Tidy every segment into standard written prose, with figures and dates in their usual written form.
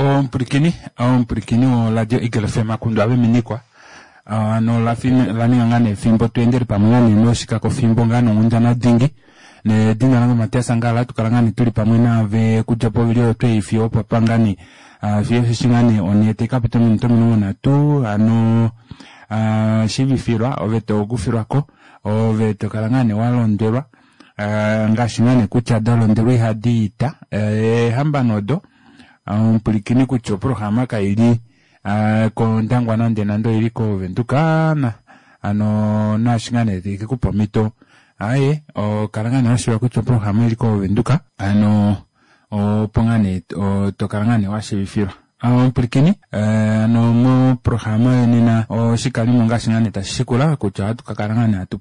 Omupwilikini omupwilikini woradio Eagle FM akundwa veminikwa hano la ninga ngaa nee efimbo tu endele pamwe ngaa nee noshikakofimbo ngaa nonghundana dingi nedina lange Matias Angala hatu kala ngaa nee tuli pamwe naave kudja povili oyo tweifiyo opapa ngaa nee fiyo osheshi ngaa nee onhee taikapita ominute 30 hano shiivifilwa ove tokufilwako ove tokala ngaa nee walondwelwa ngaashi ngaa nee kutya dalondelwa ihadi ita eehambano odo omupwilikini kutya oprograma kaili kOndangwa nande nande oili kOvenduka hano naashi ngaa nee taikekupa omhito aaye kala ngaa nee washiiva kutya oprograma oili kOvenduka hano opo ngaa nee tokala ngaa nee washiivifilwa. Omupwilikini hano moprograma yonena oshikalimo ngaashi ngaa nee tashi shikula kutya ohatu kakala ngaa nee hatu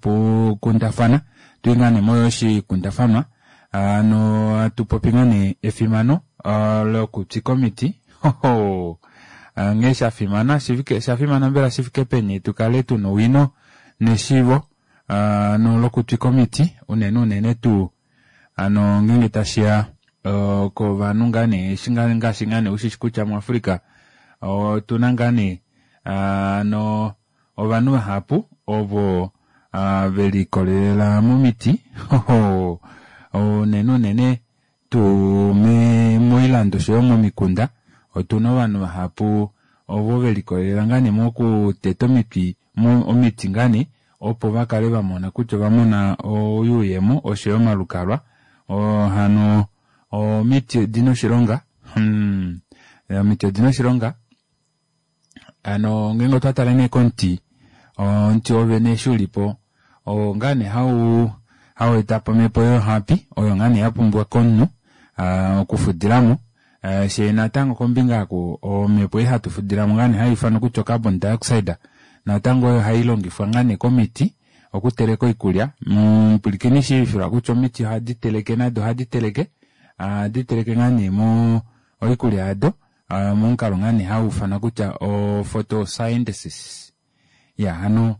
kundafana tuli ngaa nee moshikundafanwa hano hatu popi ngaa nee efimano lokutsika omiti nghee shafimana shafimana mbela shifike peni tukale tuna owino neshiivo hano lokutwika omiti unene unene tuu hano ngeenge tashiya kovanhu ngaa nee eshi ngaashi ngaa nee ushishi kutya muAfrica otuna ngaa nee hano ovanhu vahapu ovo velikolelela momiti unene unene tuu moilando oshoyo momikunda otuna ovanhu vahapu ovo velikolelela ngaa nee mokuteta omiti omiti ngaa nee opo vakale vamona kutya ovamona oyuuyemo oshoyo omalukalwa hano omiti odina oshilonga omiti odina oshilonga hano ngeenge otwa tale nee komuti omuti wovene eshi ulipo oo ngaa nee hau etapo omhepo yohapi oyo ngaa nee yapumbiwa komunhu okufudilamo shee natango kombinga oku omhepo ei hatu fudilamo ngaa nee haiufanwa kutya ocarbon dioxide natango oyo hailongifwa ngaa nee komiti okuteleka oikulya mupwilikini shiivifilwa kutya omiti ohadi teleke nado ohadi teleke ohadi teleke ngaa nee mo oikulya yado momukalo ngaa nee hauufanwa kutya o photosynthesis ya hano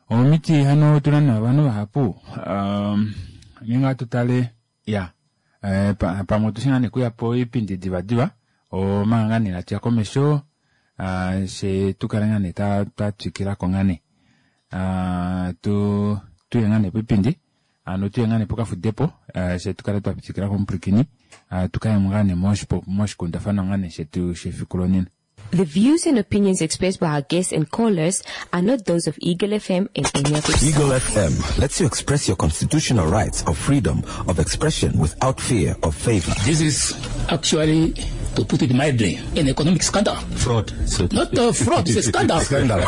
omiti hano otuna nee ovanhu vahapu ngeenge ohatu tale ya pamwe otushi ngaa nee okuya poipindi divadiva omanga ngaa nee hatuya komesho fye tukale ngaa nee twatwikilako ngaa nee tuye ngaa nee poipindi hano tuye ngaa nee pokafudepo fye tukale twatwikilako omupwilikini tukayemo ngaa nee moshikundafanwa ngaa nee shetu shefiku lonena. The views and opinions expressed by our guests and callers are not those of Eagle FM and any of its Eagle FM lets you express your constitutional rights of freedom of expression without fear of favor. This is actually, to put it mildly, an economic scandal. Fraud. So Not a fraud, it's a scandal. Scandal.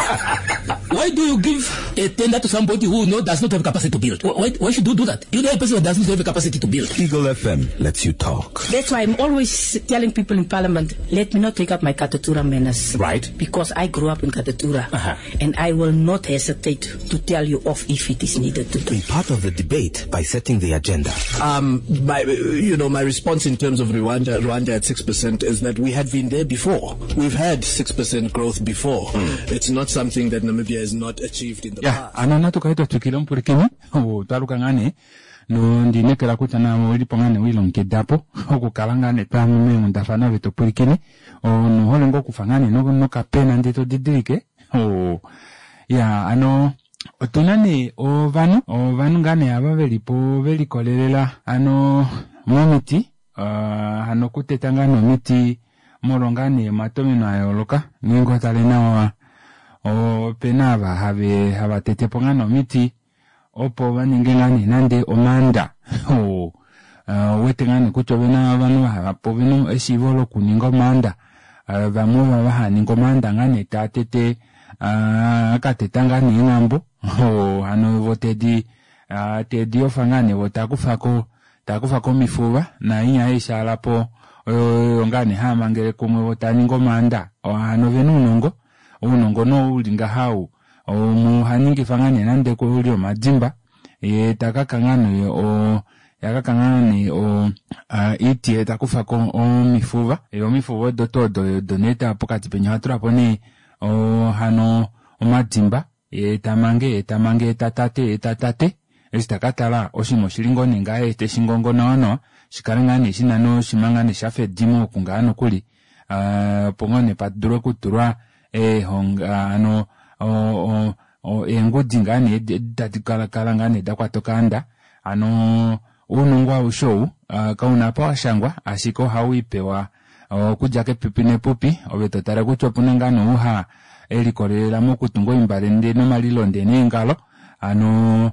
Why do you give a tender to somebody who does not have capacity to build? Why should you do that? You know a person who does not have capacity to build. Eagle FM lets you talk. That's why I'm always telling people in Parliament, let me not take up my Katutura manners. Right. Because I grew up in Katutura. Uh-huh. And I will not hesitate to tell you off if it is needed to do. Be part of the debate by setting the agenda. My response in terms of Rwanda at 6% is that we had been there before. We've had 6% growth before. It's not something that Namibia has not achieved in the past. Ano natukale twatwikila omupwilikini twaluka ngaa nee nondinekela kutya nawe oilipo ngaa nee wilongekida po okukala ngaa nee twaya meenghundafana ove topwilikine onohole ngoo okufa ngaa nee nokapena ndee todidilike ya ano otuna nee ovanhu ovanhu ngaa nee ava velipo velikolelela ano momiti hano okuteta ngaa nee omiti molwa ngaa nee omatomeno ayooloka ngeenge otale nawa opena ava hava tete po ngaa nee omiti opo vaninge ngaa nee nande omaanda ouwete ngaa nee kutya ovena ovanhu vahapu ovena eshiivo lokuninga omaanda vamwe ovo hava ningi omaanda ngaa nee taa tete akateta ngaa nee eenghambo hano vo tedi tedi yofa ngaa nee vo takufako takufako omifuva nainya haishaalapo oyo ngaa nee haamangele kumwe vo taningi omaanda hano ovena ounongo ounongo nee uli ngaha ou umwe ohaningifa ngaa nee nande kuli omadimba yee takaka ngaa nee yakaka ngaa nee oiti yee takufako omifuva yee omifuva odo tuu odo odo nee pokati penya ohatulapo nee hano omadimba yee tamange yee tamange yee tatate yee tatate eshi takatala oshinima oshili ngoo nee ngaha teshingongo nawa nawa shikale ngaa nee shina noshima ngaa nee shafa edimo oku ngaha nokuli. Opo ngoo nee padule okutulwa eehonga hano eengudi ngaa nee tadi kala ngaa nee dakwata okaanda. Hano ounongo aushe ou kauna apa washangwa ashike ohau ipewa okudja kepipi nepupi ove totale kutya opuna ngaa nee ou ha elikolelela mokutunga oimbale ndee nomalilo ndee neengalo hano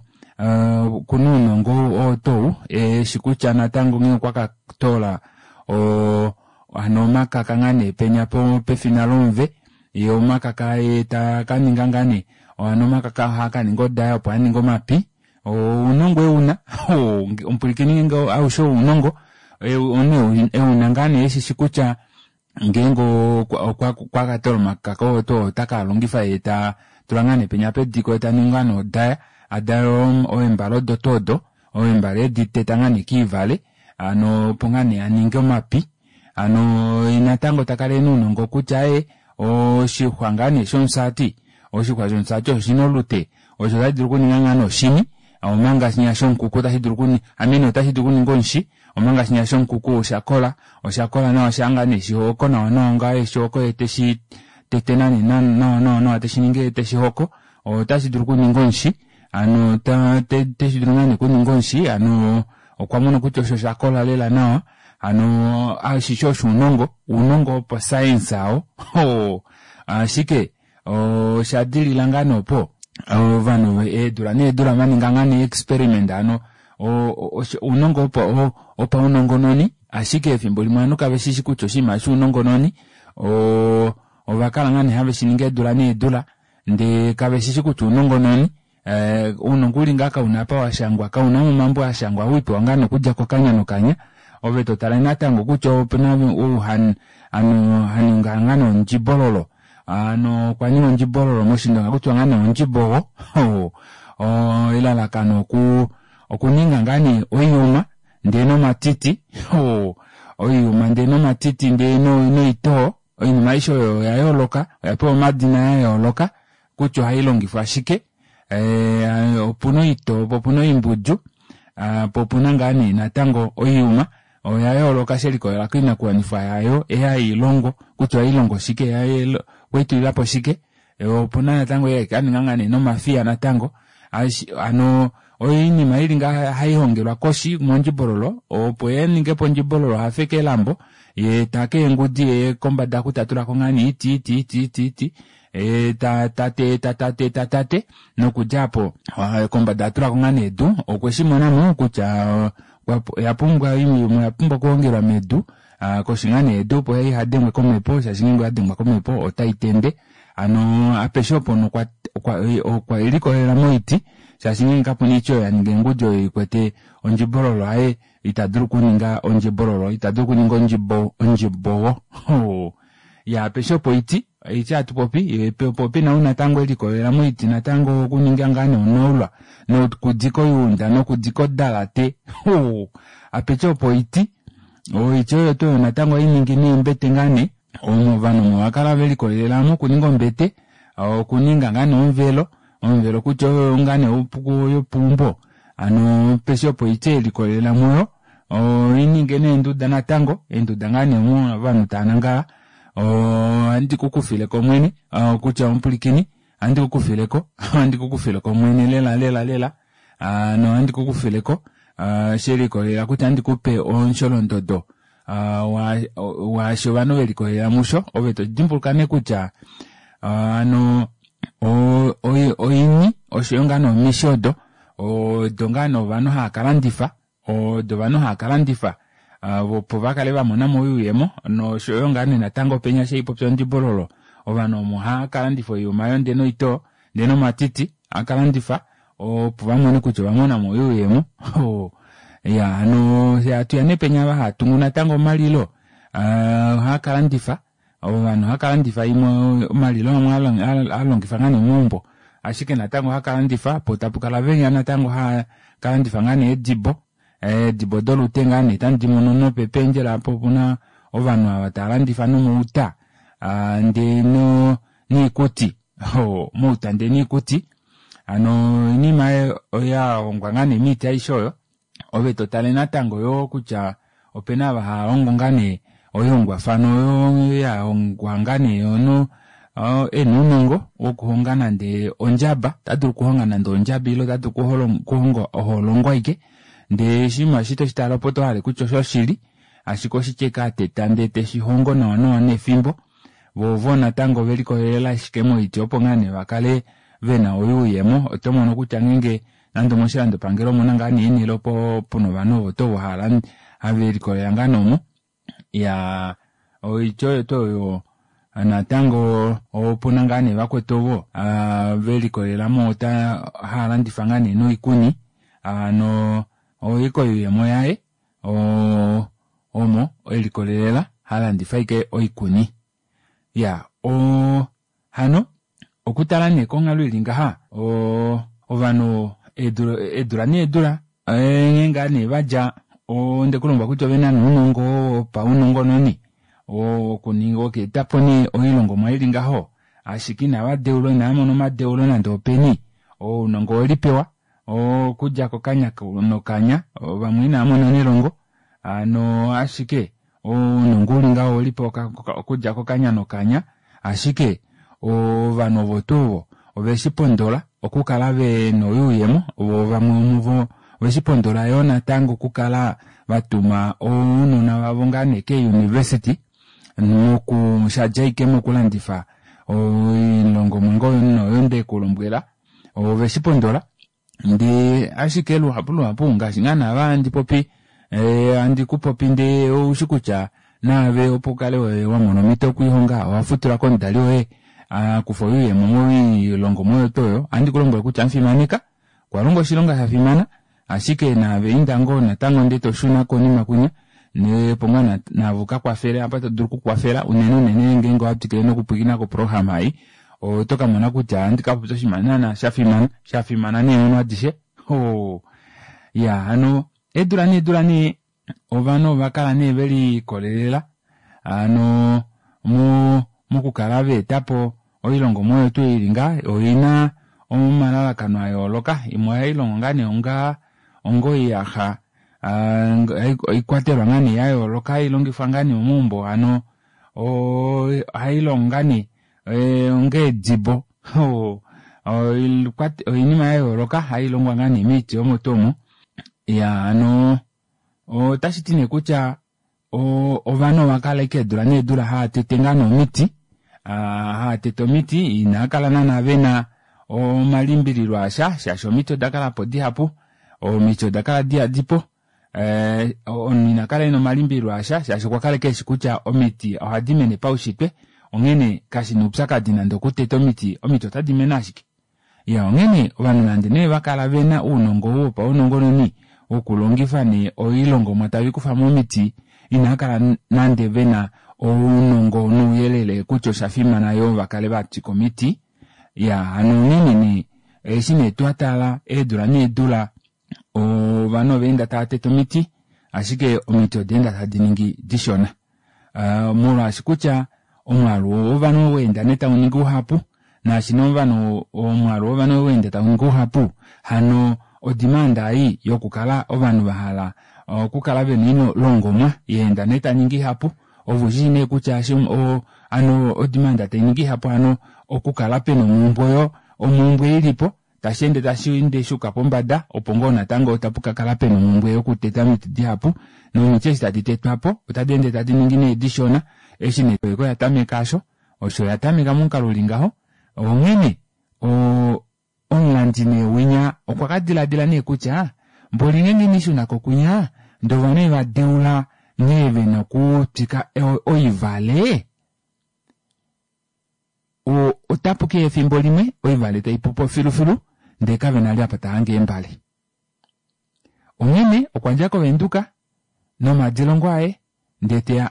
okuna ounongo oo tou eshi kutya natango nghee okwa katoola hano omakaka ngaa nee penya pefina lomuve ye omakaka ye takaninga ngaa nee hano omakaka ohaa kaninga odaya opo aninge omapi ounongo euna omupwilikini ngeenge aushe ounongo euna ngaa nee eshishi kutya ngeenge okwa katoola omakaka oo tuu otaka longifa ye ta tula ngaa nee penya pediko ye taningi ngaa nee odaya adale eembale odo tuu odo eembale edi teta ngaa nee kiivale hano opo ngaa nee aninge omapi hano natango takala ena ounongo kutya ee oshixwa ngaa nee shomusati oshixwa shomusati oshina olute osho otashi dulu okuninga ngaa nee oshini omanga shinya shomukuku otashi dulu amene otashi dulu okuninga omushi omanga shinya shomukuku oshakola oshakola nawa shaa ngaa nee shihoko nawa nawa ngaa eshihoko ye teshi tete nane nawa nawa nawa teshi ningi teshi hoko otashi dulu okuninga omushi hano teshi dulu ngaa nee okuninga omushi hano okwa mona kutya osho oshakola lela nawa hano ashishe osho ounongo ounongo wopo science ao ashike osha dilila ngaa nee opo ovanhu eedula needula vaninga ngaa nee experiment hano ounongo wopaunongononi ashike efimbo limwe ovanhu kave shishi kutya oshinima shounongononi ovakala ngaa nee have shiningi eedula needula ndee kave shishi kutya ounongononi ounongo uli ngaa kauna apa washangwa kauna momambo ashangwa owipewa ngaa nokudja kokanya nokanya ove totala natango kutya opena ou haninga ngaa nee ondjibololo hano okwa ninga ondjibololo moshindonga kutya ngaa nee ondjibogo elalakano okuninga ngaa nee oiyuma ndee nomatiti oiyuma ndee nomatiti ndee noitoo oinima aishe oyo oya yooloka oya pewa omadina ya yooloka kutya ohayi longifwa shike opuna oitoo po opuna oimbudju po opuna ngaa nee natango oiyuma oya yooloka shelikolela koinakuwanifwa yayo ehailongo kutya ohailongo shike okweitulilapo shike opuna natango kaninga ngaa nee nomafiya natango hano oinima ili ngaa haihongelwa koshi mondjibololo opo yeningepo ondjibololo hafeke elambo ye take eengudi ye kombada kutatulako ngaa nee iti iti iti iti iti tate tate tate nokudja apo kombada atulako ngaa nee edu okwe shimonamo kutya oya pumbwa oiyuma oya pumbwa okuhongelwa medu koshi ngaa nee edu opo ihadengwe komhepo shaashi ngeenge oyadengwa komhepo otai tende hano apeshe opo okwa elikolela moiti shaashi ngeenge kapuna oiti oyo yaninga eengudi oyo ikwete ondjibololo aye ita dulu okuninga ondjibololo ita dulu okuninga ondjibowo ya apeshe opo oiti oiti hatupopi po pena ou natango elikolela moiti natango okuninga ngaa nee onaulwa nokudika oyuunda nokudika odalate apeshe opo oiti oiti oyo tuu natango oiningi neembete ngaa nee omo ovanhu omo vakala velikolelela mokuninga ombete okuninga ngaa nee omuvelo omuvelo kutya oyo ngaa nee yopeumbo hano peshe opo oiti elikolelela muyo oininge neenduda natango eenduda ngaa nee omo ovanhu tava nangala ohandi kukufileko omwene kutya omupwilikini ohandi kukufileko ohandi kukufileko omwene lela lela lela no ohandi kukufileko shelikolelela kutya ohandi kupe omusholondodo waashi ovanhu velikolelela musho ove todimbuluka nee kutya hano oini oshoyo ngaa nee omishi odo odo ngaa nee ovanhu hava kalandifa odo ovanhu hava kalandifa opo vakale vamonamo oyuuyemo noshoyo ngaa nee natango penya sheipopya ondjibololo ovanhu omo hava kalandifa oiyuma oyo ndee noitoo ndee nomatiti hakalandifa opo vamone kutya ovamonamo oyuuyemo ya hano hatuya nee penya ava hatungu natango omalilo ohava kalandifa ovanhu ohava kalandifa imwe omalilo amwe alongifa ngaa nee momaumbo ashike natango ohava kalandifa po tapukala venya natango hava kalandifa ngaa nee eedibo eedibo dolute ngaa nee tandi mono nopependjela apo opuna ovanhu ava tava landifa nomouta ndee niikuti mouta ndee niikuti hano oinima oya hongwa ngaa nee miiti aishe oyo ove totale natango yoo kutya opena ava hava hongo ngaa nee Oihongwafano oyo ya hongwa ngaa nee omunhu e na ounongo wokuhonga nande ondjaba, ota dulu okuhonga nande ondjaba ile ota dulu okuhonga oholongo aike ndee oshinima eshi toshi tale opo oto hale kutya oshoshili ashike oshike ashike a teta ndee teshi hongo nawa nawa nefimbo vo ovo natango ove likolelela ashike moiti opo ngaa nee vakale vena oyuuyemo. Oto mono kutya ngeenge nande omoshilandopangelo omuna ngaa nee eenhele opo puna ovanhu ovo tuu ovo have likolelela ngaa nee omo. Ya oitya oyo tuu oyo natango opuna ngaa nee vakwetu ovo ve likolelela mo ota hava landifa ngaa nee noikuni hano oiko oyuuyemo yaye omo elikolelela halandifa ashike oikuni. Ya o hano okutala nee konghalo ili ngaha o ovanhu eedula eedula needula nghee ngaa nee vadja onde kulongwa kutya ovena nee ounongo wopaunongononi wokuninga wokueta po nee oilongomwa ili ngaho ashike inava deulwa inava mona omadeulo nande openi ounongo owelipewa okudja kokanya nokanya vamwe inava mona nelongo hano ashike ounongo uli ngaho owelipewa okudja kokanya nokanya ashike ovanhu ovo tuu ovo oveshi pondola okukala vena oyuuyemo vo vamwe vomuvo oveshi pondola yoo natango okukala vatuma ounona vavo ngaa nee keeuniversity moku shadja ashike mokulandifa oilongomwa ngoo oyo ndekulombwela oveshi pondola ndee ashike luhapu luhapu ngaashi ngaa naava handi popi handi ku popi ndee oushi kutya naave opo ukale wa mona omhito yokulihonga owa futila komudali woye akufa oyuuyemo moilongomwa oyo tuu oyo ohandi ku lombwele kutya mufimaneka okwa longa oshilonga sha fimana ashike naave inda ngoo natango ndee toshuna konima kwinya opo ngaa naave ukakwafele apa to dulu okukwafela unene unene ngeenge owa twikile nokupwilikina koprograma ei oto kamona kutya ohandi kapopya oshinima naana shafimana shafimana neenghono adishe iya hano eedula needula nee ovanhu ova kala nee velikolelela hano mokukala vaetapo oilongomwa oyo tuu ili ngaa oina omalalakano ayooloka imwe ohailongo ngaa nee onga onga oiyaxa oikwatelwa ngaa nee yayooloka hailongifwa ngaa nee momaumbo hano ohailongo ngaa nee onga eedibo oinima yayooloka hailongwa ngaa nee moiti omo tuu omo iya hano otashiti nee kutya ovanhu ova kala ashike eedula needula hava tete ngaa nee omiti hava tete omiti inava kala naana vena omalimbililo asha shaashi omiti oda kala po dihapu omiti oda kala dihadipo omunhu ina kala ena omalimbililo asha shaashi okwa kala ashike eshi kutya omiti ohadi mene paushitwe onghene kashina oupyakadi nande okuteta omiti omiti otadi mene ashike Iya onghene ovanhu nande nee vakala vena ounongo ou wopaunongononi wokulongifa nee oilongomwa tave ikufa momiti inava kala nande vena ounongo nouyelele kutya osha fimana yoo vakale vatwika omiti. Iya hano onghene nee eshi nee twatala eedula needula ovanhu ova enda tava tete omiti ashike omiti oda enda tadi ningi dishona molwaashi kutya omwaalu wovanhu owa enda nee tau ningi uhapu naashi nee ovanhu omwaalu wovanhu owa enda tau ningi uhapu hano odimanda ei yokukala ovanhu vahala okukala vena oilongomwa yaenda nee taningi ihapu ove ushishii nee kutya hano odimanda tainingi ihapu hano okukala pena omumbwe oyo omumbwe ilipo tashi ende tashi ende shuuka pombada opo ngoo natango tapu ka kala pena omhumbwe yokuteta omiti dihapu nomiti eshi tadi tetwa po otadi ende tadi ningi nee dishona eshi nee oproyeka oya tameka asho osho ya tameka momukalo uli ngaho onghene omulandi nee winya okwa ka diladila nee kutya mboli ngeenge ine shuna ko kwinya ndee ovanhu eva deula nghee vena okutwika oivale Otapu keya efimbo limwe oivale tai pu po filufilu ndee kave na li apa ta hange eembale. Onghene okwa dja kOvenduka nomadilongo aye ndee teya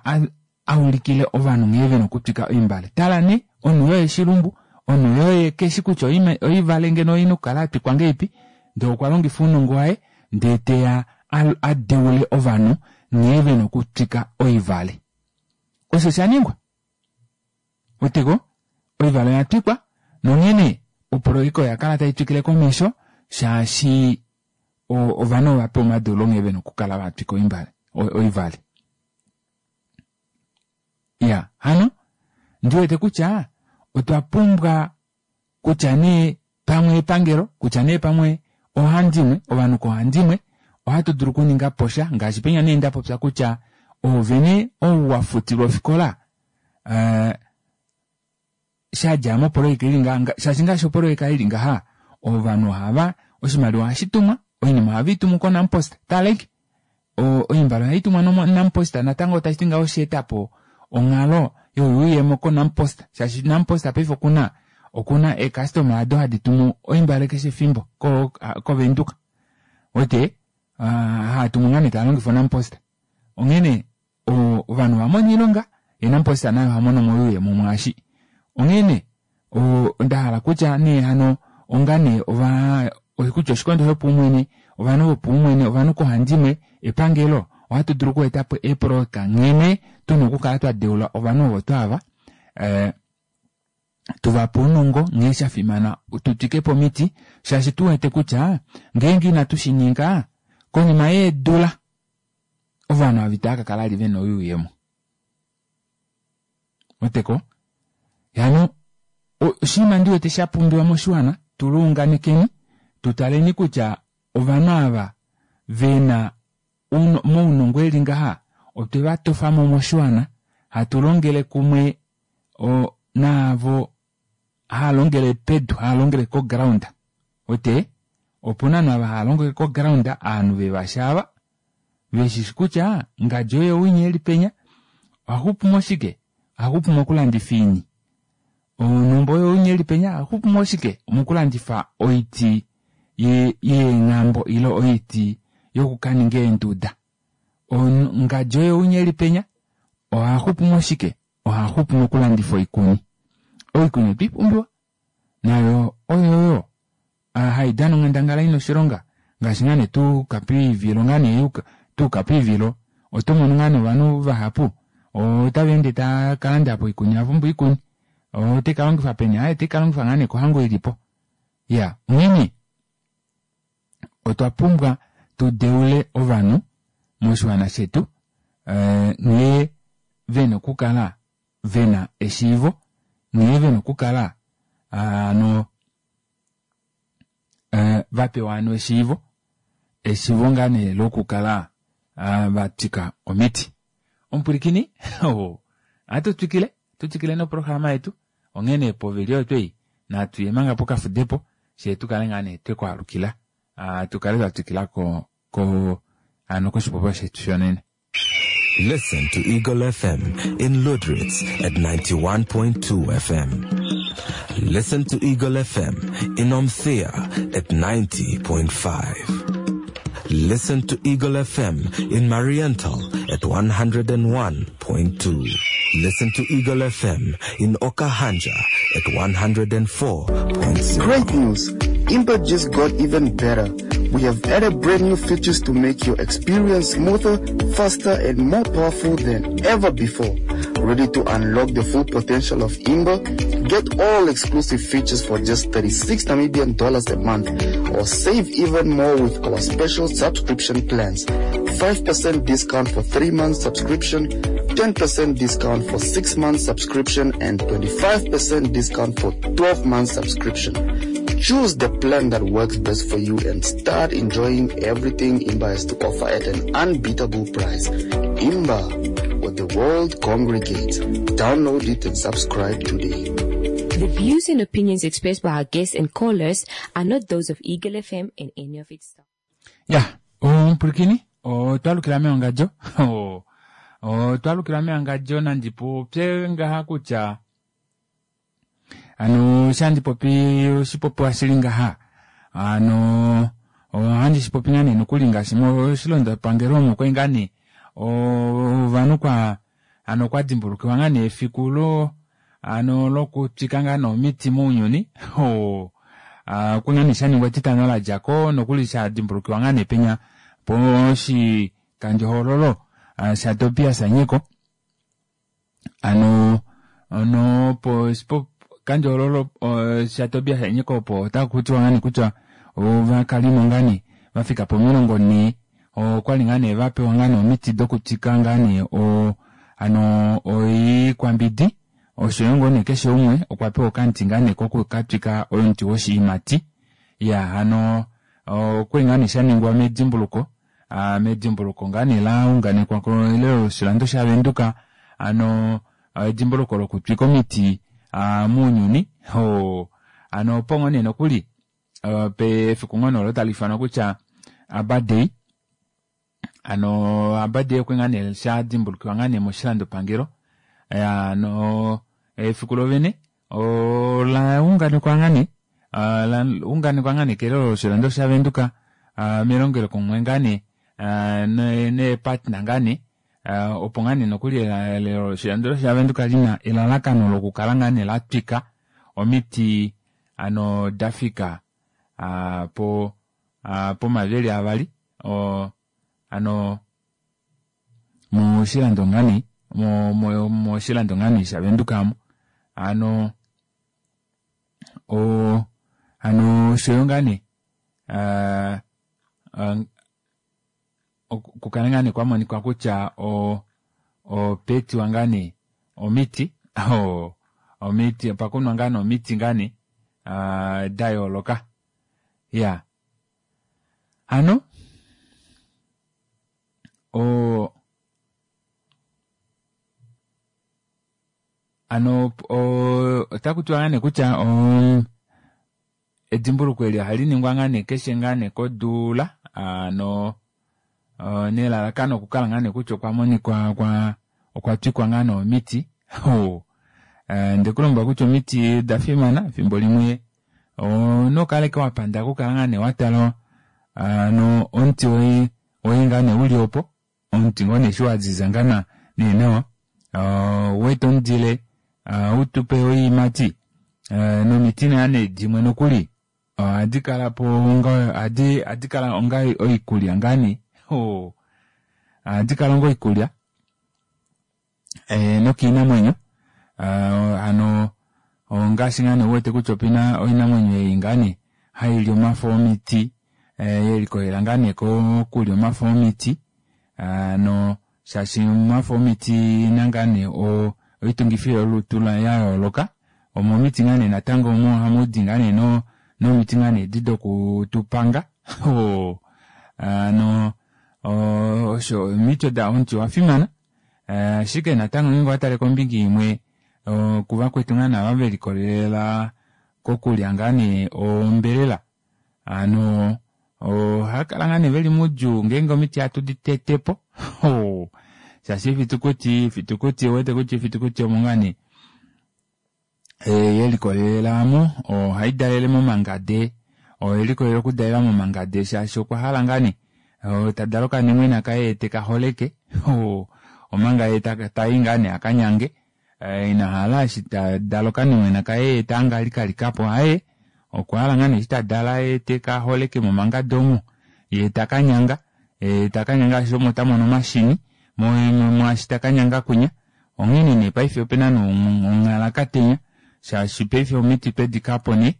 a ulikile ovanhu nghee vena okutwika oimbale. Tala nee, omunhu yoye shilumbu, omunhu yoye keshi kutya oivale ngeno oina okukala ya twikwa ngeipi, ndee okwa longifa ounongo waye ndee teya a deule ovanhu nghee vena okutwika oivale. Osho sha ningwa. Weteko, oivale oya twikwa nonghene oproyeka oya kala tai twikile komesho shaashi ovanhu ova pewa omadeulo nghee vena okukala va twika oimbale oivale. Ya hano ndiwete kutya otwa pumbwa kutya nee pamwe epangelo kutya nee pamwe ohandimwe ovanhu kohandimwe ohatu dulu okuninga po sha ngaashi penya nee nda popya kutya oovene ou wa futilwa ofikola eh, sha dja mopoloyeka ili nga shaashi ngaashi opoloyeka ili ngaha ovanhu ohava oshimaliwa ohashi tumwa oinima ohave i tumu koNampost taleke oimbale ohai tumwa noNampost natango tashi ti ngaho osheeta po onghalo yoyuuyemo koNampost shaashi Nampost paife okuna okuna eecustoma ado hadi tumu oimbale keshe efimbo koVenduka wete haa tumu ngaa nee taa longifa oNampost onghene ovanhu ova mona oilonga ye Nampost naye oha mono mo oyuuyemo mwaashi onghene onda hala kutya nee hano onga nee ova kutya oshikondo shopaumwene ovanhu vopaumwene ovanhu kohandimwe epangelo ohatu dulu okueta po eepoloyeka nghene tuna okukala twa deula ovanhu ovo twaava eh, tuvape ounongo nghee sha fimana tu twike po omiti shaashi tu wete kutya ngeenge inatu shi ninga konima yeedula ovanhu ava itava ka kala li vena oyuuyemo weteko hano oshinima ndi wete sha pumbiwa moshiwana tu luunganekeni tu taleni kutya ovanhu ava vena mounongo eli ngaha otwe va tofa mo moshiwana hatu longele kumwe naavo haa longele pedu haa longele koground wete opuna ovanhu ava haa longele koground aanhu vevashaava veshishi kutya ngadi oye winya eli penya ohaxupu moshike ohaxupu mokulandifa iini onhumba oyo winya eli penya ohaxupu moshike omokulandifa oiti yeenghambo ile oiti yokukaninga eenduda ngadi oyo winya eli penya ohaxupu moshike ohaxupu mokulandifa oikuni oikuni otwe ipumbiwa nayo oyoyo hai dana onghandangala ina oshilonga ngaashi ngaa nee tuuka poivilo ngaa nee tuuka poivilo oto mono ngaa nee ovanhu vahapu otava ende tava ka landa po oikuni ava pumbwa oikuni ote ka longifa peni aaye ote ka longifa ngaa nee kohango ilipo ya onghene otwa pumbwa tu deule ovanhu moshiwana shetu nghee vena okukala vena eshiivo nghee vena okukala hano va pewa hano eshiivo eshiivo ngaa nee lokukala va twika omiti omupwilikini ohatu twikile tu twikile noprograma yetu onghene povili oyo twei natu ye manga pokafudepo shee tu kale ngaa nee twekwaalukila tu kale twa twikila ko ko hano koshipopiwa shetu shonene. Listen to Eagle FM in Lüderitz at 91.2 FM. Listen to Eagle FM in Omthea at 90.5. Listen to Eagle FM in Mariental at 101.2. Listen to Eagle FM in Okahandja at 104.0. Great news! Imba just got even better. We have added brand new features to make your experience smoother, faster, and more powerful than ever before. Ready to unlock the full potential of Imba? Get all exclusive features for just 36 Namibian dollars a month, or save even more with our special subscription plans. 5% discount for 3 months subscription, 10% discount for 6 months subscription, and 25% discount for 12 months subscription. Choose the plan that works best for you and start enjoying everything Imba has to offer at an unbeatable price. Imba, where the world congregates. Download it and subscribe today. The views and opinions expressed by our guests and callers are not those of Eagle FM and any of its staff. Ya, omupwilikini otwa lukila mewangadjo otwa lukila mewangadjo nandi popye ngaha kutya ano shandi popi oshipopiwa shili ngaha ano ohandi shipopi ngaa nee nokuli ngaashi moshilondopangelo omo kwali ngaa nee ovanhu kwa ano kwa dimbulukiwa ngaa nee efiku lo ano lokutwika ngaa nee omiti mounyuni okuli ngaa nee shaningwa etitano ladjako nokuli sha dimbulukiwa ngaa nee penya poshikandjohoololo shaTobias Anyeko ano ono po kandjohoololo shaTobias Anyeko opo otaku tiwa ngaa nee kutya ovakalimo ngaa nee vafika po 40 okwali ngaa nee vapewa ngaa nee omiti dokutwika ngaa nee. Hano oikwambidi oshoyo ngoo nee keshe umwe okwa pewa okamuti ngaa nee koku katwika omuti woshiimati. Iyaa hano okwali ngaa nee shaningwa medimbuluko medimbuluko ngaa nee launganekwa kelelo loshilando shaVenduka hano edimbuluko lokutwika omiti mounyuni hano opo ngoo nee nokuli pefiku ngoo nee olo tali ifanwa kutya Aba Day hano Aba Day okwe ngaa nee shadimbulukiwa ngaa nee moshilandopangelo hano efiku lovene ola unganekwa ngaa nee la unganekwa ngaa nee kelelo loshilando shaVenduka melongelokumwe ngaa nee neepartner ngaa nee opo ngaa nee nokuli elelo loshilando shaVenduka lina elalakano lokukala ngaa nee latwika omiti hano dafika po pomaveli avali hano moshilando ngaa nee moshilando ngaa nee shaVenduka amu hano hano oshoyo ngaa nee okukala ngaa nee kwamonika kutya opetiwa ngaa nee omiti omiti opakunwa ngaa nee omiti ngaa nee dayooloka ya hano hano otakutiwa ngaa nee kutya edimbuluko eli ohali ningwa ngaa nee keshe ngaa nee kodula hano nelalakano okukala ngaa nee kutya okwa monikwa okwa twikwa ngaa nee omiti ndekulombwela kutya omiti oda fimana efimbo limwe onokaleke wapanda okukala ngaa nee watala ano omuti woye woye ngaa nee uli opo omuti ngoo nee eshi waziza ngaa nee nawa weeta omudile utupe oiimati nomiti ngaa nee dimwe nokuli ohadi kalapo onga ohadi kala onga oikulya ngaa nee ohadi kala onga oikulya nokiinamwenyo hano ongaashi ngaa nee uwete kutya opena oinamwenyo ei ngaa nee haili omafo omiti yelikolela ngaa nee kokulya omafo omiti hano shaashi omafo omiti ena ngaa nee oitungifi yolutu yayooloka omomiti ngaa nee natango omo ohamudi ngaa nee nomiti ngaa nee edi dokutupanga hano osho omiti oda omuti owafimana ashike natango ngeenge owatale kombinga imwe kuvakwetu ngaa nee ava velikolelela kokulya ngaa nee ombelela hano ohakala ngaa nee veli moudjuu ngeenge omiti hatu ditetepo shaashi oifitukuti ifitukuti ouwete kutya ifitukuti omo ngaa nee yelikolelela mo ohai dalele momangade oyelikolelela okudalela momangade shaashi okwa hala ngaa nee tadala okanimwena kaye tekaholeke omanga ye tai ngaa nee akanyange ina hala eshi tadala okanimwena kaye taange alikalikapo aaye okwa hala ngaa nee eshi tadala ye tekaholeke momangade omo ye takanyanga takanyanga shaashi omo tamono omashini mwaashi takanyanga kwinya onghene nee paife opena nonghalakatenya shaashi paife omiti twedikapo nee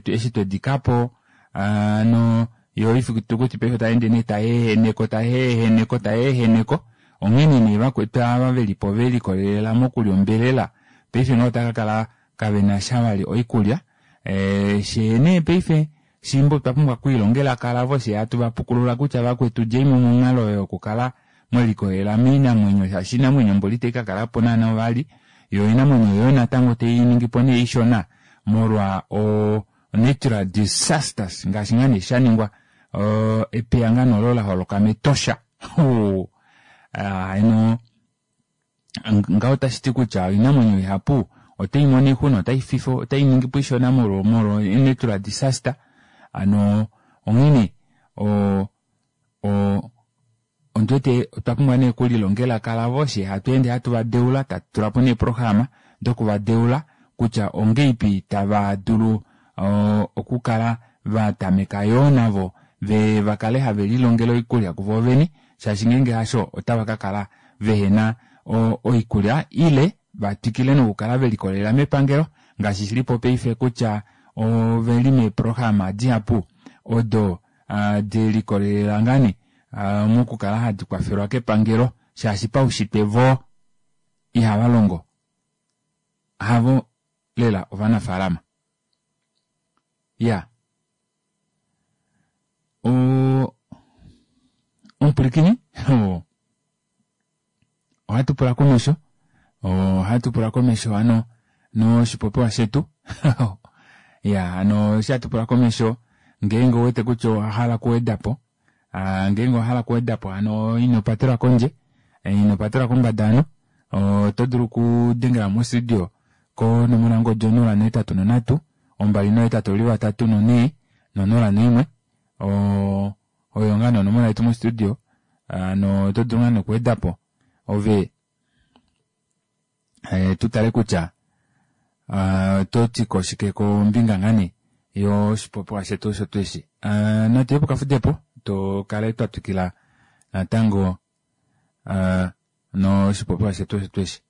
eshi twedikapo ano yo oifitukuti paife taende nee tayeeheneko tayeeheneko tayeeheneko onghene nee vakwetu ava velipo velikolelela mokulya ombelela paife ngaho otakakala kavena sha vali oikulya shee nee paife shimba otwa pumbwa okwiilongela kalavo shee hatu vapukulula kutya vakwetu djeimo monghalo oyo yokukala mwelikolelela moinamwenyo shaashi oinamwenyo mboli itai kakalapo naana vali yo oinamwenyo oyo natango tainingipo nee ishona molwa natural disasters ngaashi ngaa nee shaningwa epeya ngaa nee olo laholoka metosha hano ngaho otashiti kutya oinamwenyo ihapu otai mono oixuna otai ningipo ishona molwa natural disaster hano onghene ondiwete otwa pumbwa nee okulilongela kalavo shee hatu ende hatu vadeula tatu tulapo nee eeprograma dokuvadeula kutya ongeipi tava dulu okukala vatameka yoo navo vakale have lilongele oikulya kuvo vene shaashi ngeenge hasho otava kakala vehena oikulya ile vatwikile nokukala velikolelela mepangelo ngaashi shilipo paife kutya oveli meeprograma dihapu odo delikolelela ngaa nee mokukala hadi kwafelwa kepangelo shaashi paushitwe voo. Ihava longo. Havo lela ovanafaalama. Ya. O, omupwilikini, ohatu pula komesho, ohatu pula komesho hano noshipopiwa shetu. Ya, hano eshi hatu pula komesho, ngeenge ouwete kutya owa hala okuweda po, ngeenge owa hala okuweda po hano ino patelwa kondje, ino patelwa kombada hano, oto dulu okudengela mostudio konomola yongodi 083 283 4 01. Oyo ngaa nee onomola yetu mostudio, hano oto dulu ngaa nee okuweda po ove tu tale kutya oto ti ko shike kombinga ngaa nee yoshipopiwa shetu osho tuu eshi. Natu ye pokafudepo tu kale twa twikila natango noshipopiwa shetu osho tuu eshi.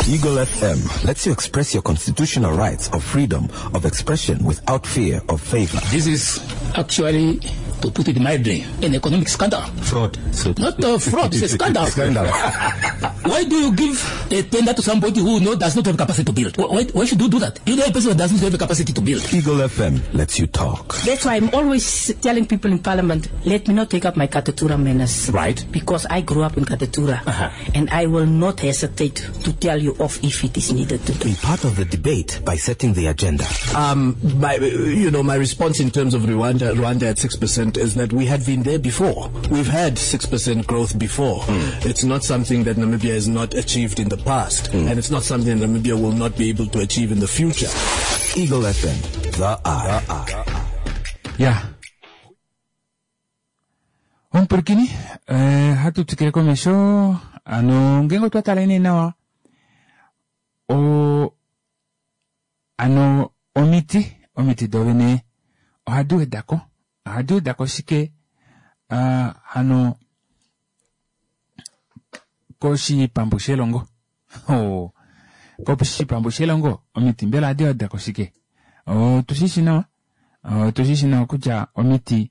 Eagle FM lets you express your constitutional rights of freedom of expression without fear of favor. This is actually, to put it mildly, an economic scandal. Fraud. So Not a fraud, it's a scandal. Scandal. Why do you give a tender to somebody who does not have capacity to build? Why should you do that? You know a person who does not have the capacity to build. Eagle FM lets you talk. That's why I'm always telling people in Parliament, let me not take up my Katutura manners. Right. Because I grew up in Katutura. And I will not hesitate to tell you off if it is needed to do. Be part of the debate by setting the agenda. My response in terms of Rwanda at 6% is that we had been there before. We've had 6% growth before. It's not something that Namibia has not achieved in the past, and it's not something that Namibia will not be able to achieve in the future. Eagle FM, the eye. Yeah. Omupwilikini, hatu twikile komesho, ano ngeenge otwa tala nee nawa, o, ano omiti, omiti dovene ohadi wedako, ohadi wedako shike, hano koshipambu shelongo. Oh, koshipambu shelongo, omiti mbela ohadi wedako shike? Otu shi shi nawa, otu shi shi nawa kutya omiti,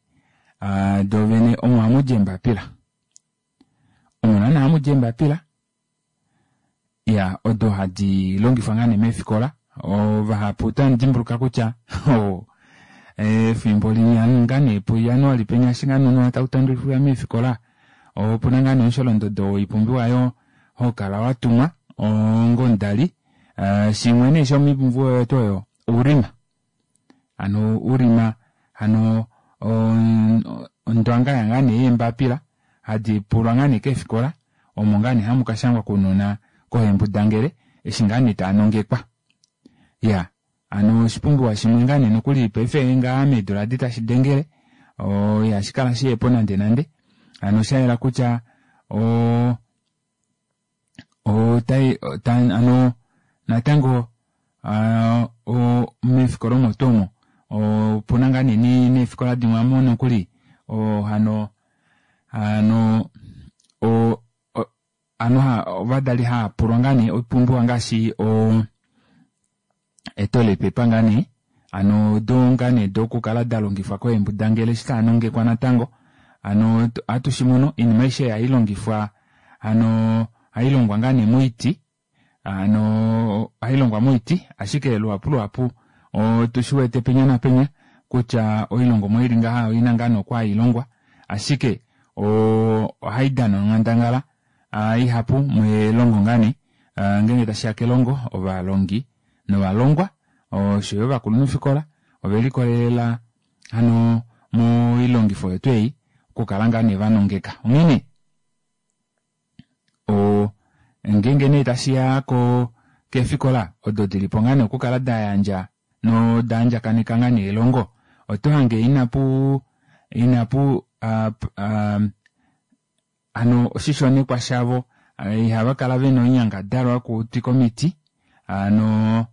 dovene omo hamu di eembapila. Omo naana hamu di eembapila, ya, odo hadi longifwa ngaa nee meefikola. Ovahapu otamu dimbuluka kutya, oh, efimbo linya ngaa nee puJanuali penya eshi ngaa nounona tau tandulifwa meefikola, opuna ngaa nee omusholondodo woipumbiwa yo ho kala wa tumwa ongomudali. Shimwe nee shomoipumbiwa yetu oyo oulima. Ano oulima, hano, ondwanga ya ngaa nee yeembapila hadi pulwa ngaa nee keefikola, omo ngaa nee hamu ka shangwa kounona kohembudangele eshi ngaa nee taa nongekwa. Ya, ano oshipumbiwa shimwe ngaa nee nokuli paife ngaa meedula adi tashi dengele, ihashi kala shihepo nande nande. Ano osha yela kutya, otai, ota, ano, natango, meefikola omo tuu omo, opuna ngaa nee neefikola dimwe amo nokuli, hano, hano, o, o, ano ha, ovadali hava pulwa ngaa nee oipumbiwa ngaashi, o, etoilet paper ngaa nee, ano do ngaa nee dokukala da longifwa koembudangele eshi taa nongekwa natango. Ano, ohatu shi mono, oinima aishe hai longifwa, ano, hai longwa ngaa nee moiti, ano, hai longwa moiti, ashike luhapu luhapu, otu shi wete penya napenya kutya oilongomwa ili ngaha oina ngaa nee okwa hai longwa, ashike, ohai dana onghandangala, ihapu melongo ngaa nee, ngeenge tashiya kelongo, ovalongi novalongwa, osho yo ovakulunhufikola, ove likolelela hano moilongifo yetu ei, okukala ngaa nee vanongeka. Onghene, ngeenge nee tashiya keefikola, odo dilipo ngaa nee okukala da yandja noda andjakaneka ngaa nee elongo, oto hange inapu, inapu, hano oshishonekwa shavo, ihava kala vena oinyangadalwa yokutwika omiti. Hano,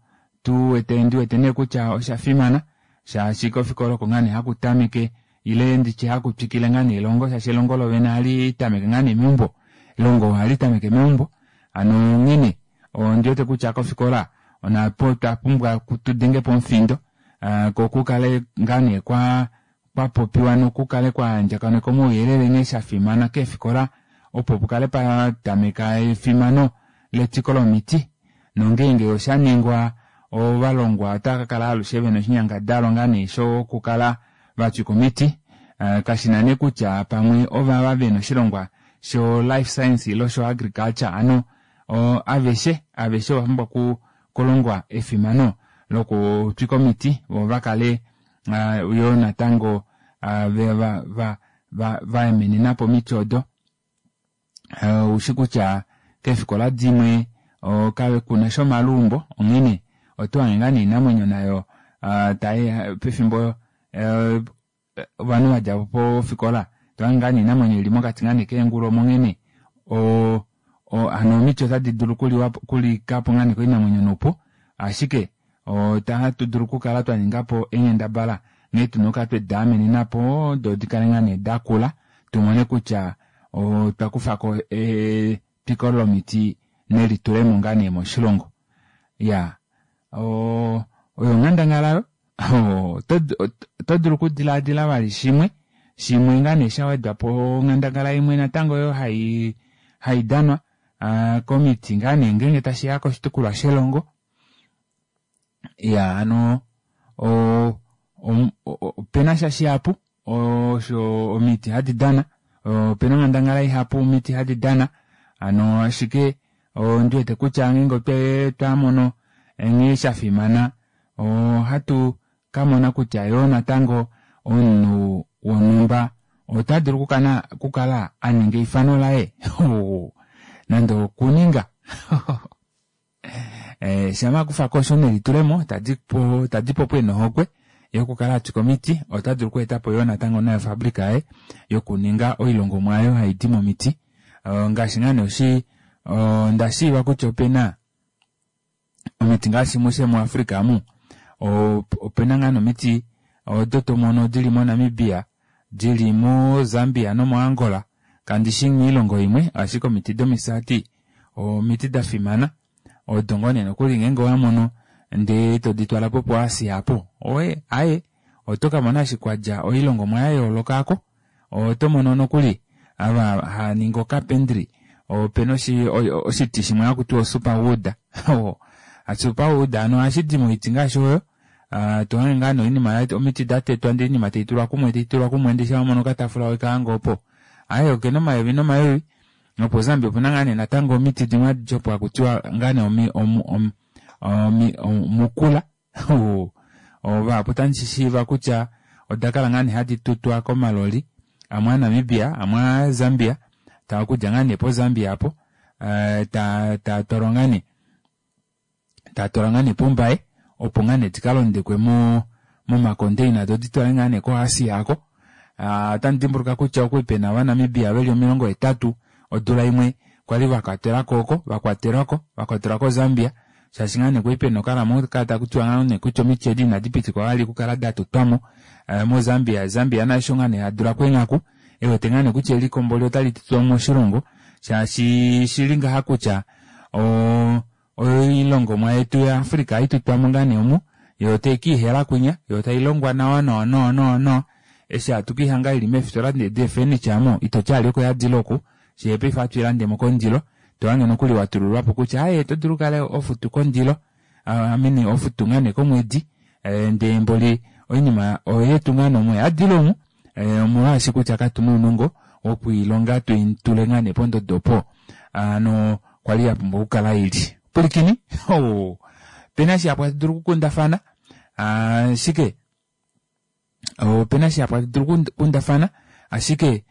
tu wete, ndi wete nee kutya osha fimana, shaashi kofikola oko ngaa nee haku tameke, ile nditye haku twikile ngaa nee elongo, shaashi elongo lovene ohali tameke ngaa nee meumbo. Elongo ohali tameke meumbo. Hano onghene, ondi wete kutya kofikola, onapo twa pumbwa tu denge po omufindo, ko kukale ngaa nee kwa popiwa nokukale kwa andjakanekwa omauyelele nghee sha fimana keefikola, opo pukale pa tameka efimano letwiko lomiti nongeenge osha ningwa ovalongwa otava ka kala alushe vena oshinyangadalwa ngaa nee shokukala va twika omiti kashina nee kutya pamwe ovava vena oshilongwa sho life science ile sho agriculture ano aveshe aveshe ova pumbwa okulongwa efimano lokutwika omiti vo va kale yoo natango va emenenapo omiti odo. Oushi kutya keefikola dimwe kakuna sha omaluumbo onghene oto hange ngaa noinamwenyo nayo pefimbo ovanhu vadja pofikola tohange ngaa noinamwenyo ili mokati ngaa nee keengulu omo onghene hano omiti otadi dulu okulikapo ngaa nee koinamwenyo noupu ashike ohatu dulu okukala twaningapo eenghendabala nghee tuna okukala twediamenenapo doo dikale ngaa nee dakula tumone kutya otwa kufako etwiko lomiti nelitulemo ngaa nee moshilongo. Iyaa oyo onghandangala oto dulu okudilaadila vali shimwe shimwe ngaa nee shawedwapo onghandangala imwe natango oyo haidanwa komiti ngaa nee ngeenge tashiya koshitukulwa shelongo. Iyaa hano opena sha shihapu osho omiti hadi dana opena onghandangala ihapu omiti hadi dana hano ashike ondiwete kutya ngeenge otwamono nghee shafimana ohatu kamona kutya yoo natango omunhu wonhumba ota dulu okukala aninga eifano laye nande okuninga shama akufako osho nelitulemo tadipo ena ohokwe yokukala atwika omiti ota dulu okweetapo yoo natango naye ofabrika yaye yokuninga oilongomwa aayo haidi momiti ngaashi ngaa nee ondashiiva kutya opena omiti ngaashi mushe mu Africa amu opena ngaa nomiti odo tomono dili mo Namibia dili mo Zambia nomo Angola kandishi moilongo imwe ashike omiti domisati omiti dafimana odo ngoo nee nokuli ngeenge owamono ndee todi twalapo po Asia apo aaye oto kamona ashike kwadja oilongomwa yayooloka aako oto mono nokuli ava haningi ocarpentry opena oshiti shimwe hakutiwa superwood superwood hano ohashidi moiti ngaashi oyo tohange ngaa noinima omiti datetwa ndee oinima taitulwa kumwe taitulwa kumwe ndee shamha wamono okatafula wekahanga opo aaye okena omayovi nomayovi nopo Zambia opuna ngaa nee natango omiti dimwe hadi opo hakutiwa ngaa nee omukula vahapu otandi shiiva kutya oda kala ngaa nee hadi tutwa komaloli amwe aNamibia amwe aZambia taa okudja ngaa nee poZambia apo tatwalwa ngaa nee tatwalwa ngaa nee pombaye opo ngaa nee dikalondekwe momacontainer doo ditwalwe ngaa nee ko Asia aako. Otandi dimbuluka kutya okwali pena ovanamibia veli 80 odula imwe kwali vakwatelwako oko vakwatelwako vakwatelwa koZambia shaashi ngaa nee kwali pena okalamo takutiwa ngaa nee kutya omiti edi inadi pitikwa vali okukala datutwamo moZambia. Zambia nasho ngaa nee adulako eenghaku ewete ngaa nee kutya eliko mboli otali tutwa moshilongo shaashi shili ngaha kutya oilongomwa yetu ya Africa haitutwamo ngaa nee omu yo taikiihela kwinya yo tailongwa nawa nawa nawa nawa nawa eshi hatu kiihanga ili meefitola deefurniture amo itoti ali oko yadile oku shee paife ohatu ilandemo kondilo tohange nokuli watululwapo kutya aaye oto dulu ukale hofutu kondilo amini hofutu ngaa nee komwedi ndee mboli oinima oyetu ngaa nee omu oyadile omu omolwaashi kutya katuna ounongo wokwiilonga tuitule ngaa nee pondodo opo hano kwali yapumbwa okukala ili. Pwilikini opena shihapu hatu dulu okukundafana ashike opena shihapu hatu dulu okukundafana ashike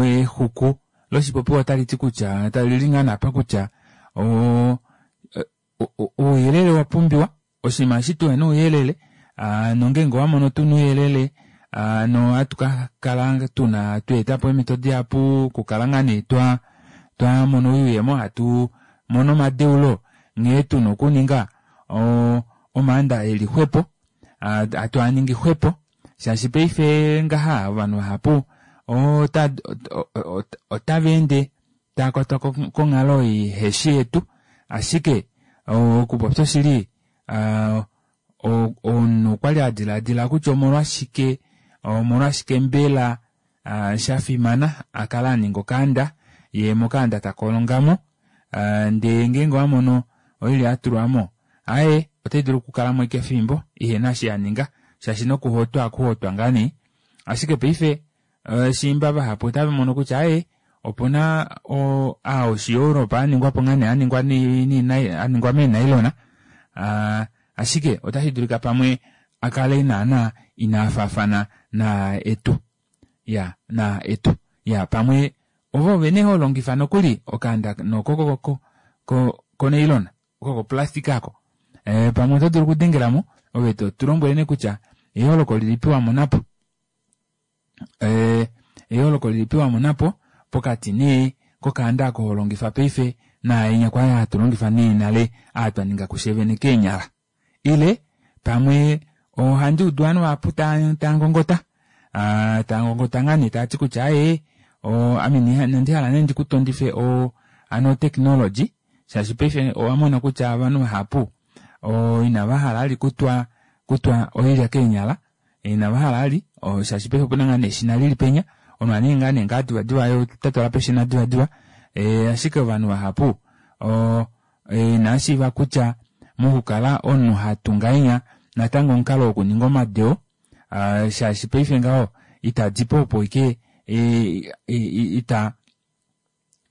exuku loshipopiwa otaliti kutya talili ngaa naapa kutya ouyelele owapumbiwa oshinima eshi tuhena ouyelele nongeenge owamono tuna ouyelele nohatu kakala tuna tweetapo eemito dihapu okukala ngaa nee twamona oyuuyemo hatu mono omadeulo nghee tuna okuninga omaanda eli xwepo hatu aningi xwepo shaashi paife ngaha ovanhu vahapu otava ende taakwatwa konghalo iheshi yetu ashike okupopya oshili omunhu okwali adilaadila kutya omolwashike omolwashike mbela shafimana akale aninga okaanda yee mokaanda takolongamo. Ndee ngeenge owa mono oilya ya tulwa mo, aaye, otai dulu okukala mo ashike efimbo ihena eshi ya ninga, shaashi nokuhotwa ohaku hotwa ngaa nee. Ashike paife shiimba vahapu otava mono kutya aaye, opu na aa oshiEurope a ningwa po ngaa nee a ningwa a ningwa meenailona, ashike otashi dulika pamwe a kale naana inaa faafana naa etu. Ya, naa etu. Ya, pamwe ove vene ho longifa nokuli okaanda noko ko ko ko konailona, oko koplastic ako. Pamwe oto dulu okudengela mo, ove to tu lombwele nee kutya eyooloko lilipi wa mona po. Eyooloko lilipi wa mona po pokati nee kokaanda ako ho longifa paife naaenya kwali hatu longifa nee nale aa twa ninga kufye vene keenyala. Ile pamwe ohandi udu ovanhu vahapu tava ngongota, tava ngongota ngaa nee tava ti kutya aaye ame inandi hala nee ndi kutondife hano otechnology, shaashi paife owa mona kutya ovanhu vahapu inava hala vali kutwa kutwa oilya keenyala, inava hala vali shaashi paife opuna ngaa nee eshina lili penya, omunhu ohaningi ngaa nee ngaa divadiva ye ota twala peshina divadiva, ashike ovanhu vahapu inava shiiva kutya mokukala omunhu hatu ngahenya natango omukalo wokuninga omadeo, shaashi paife ngaho itadi po opo ike ita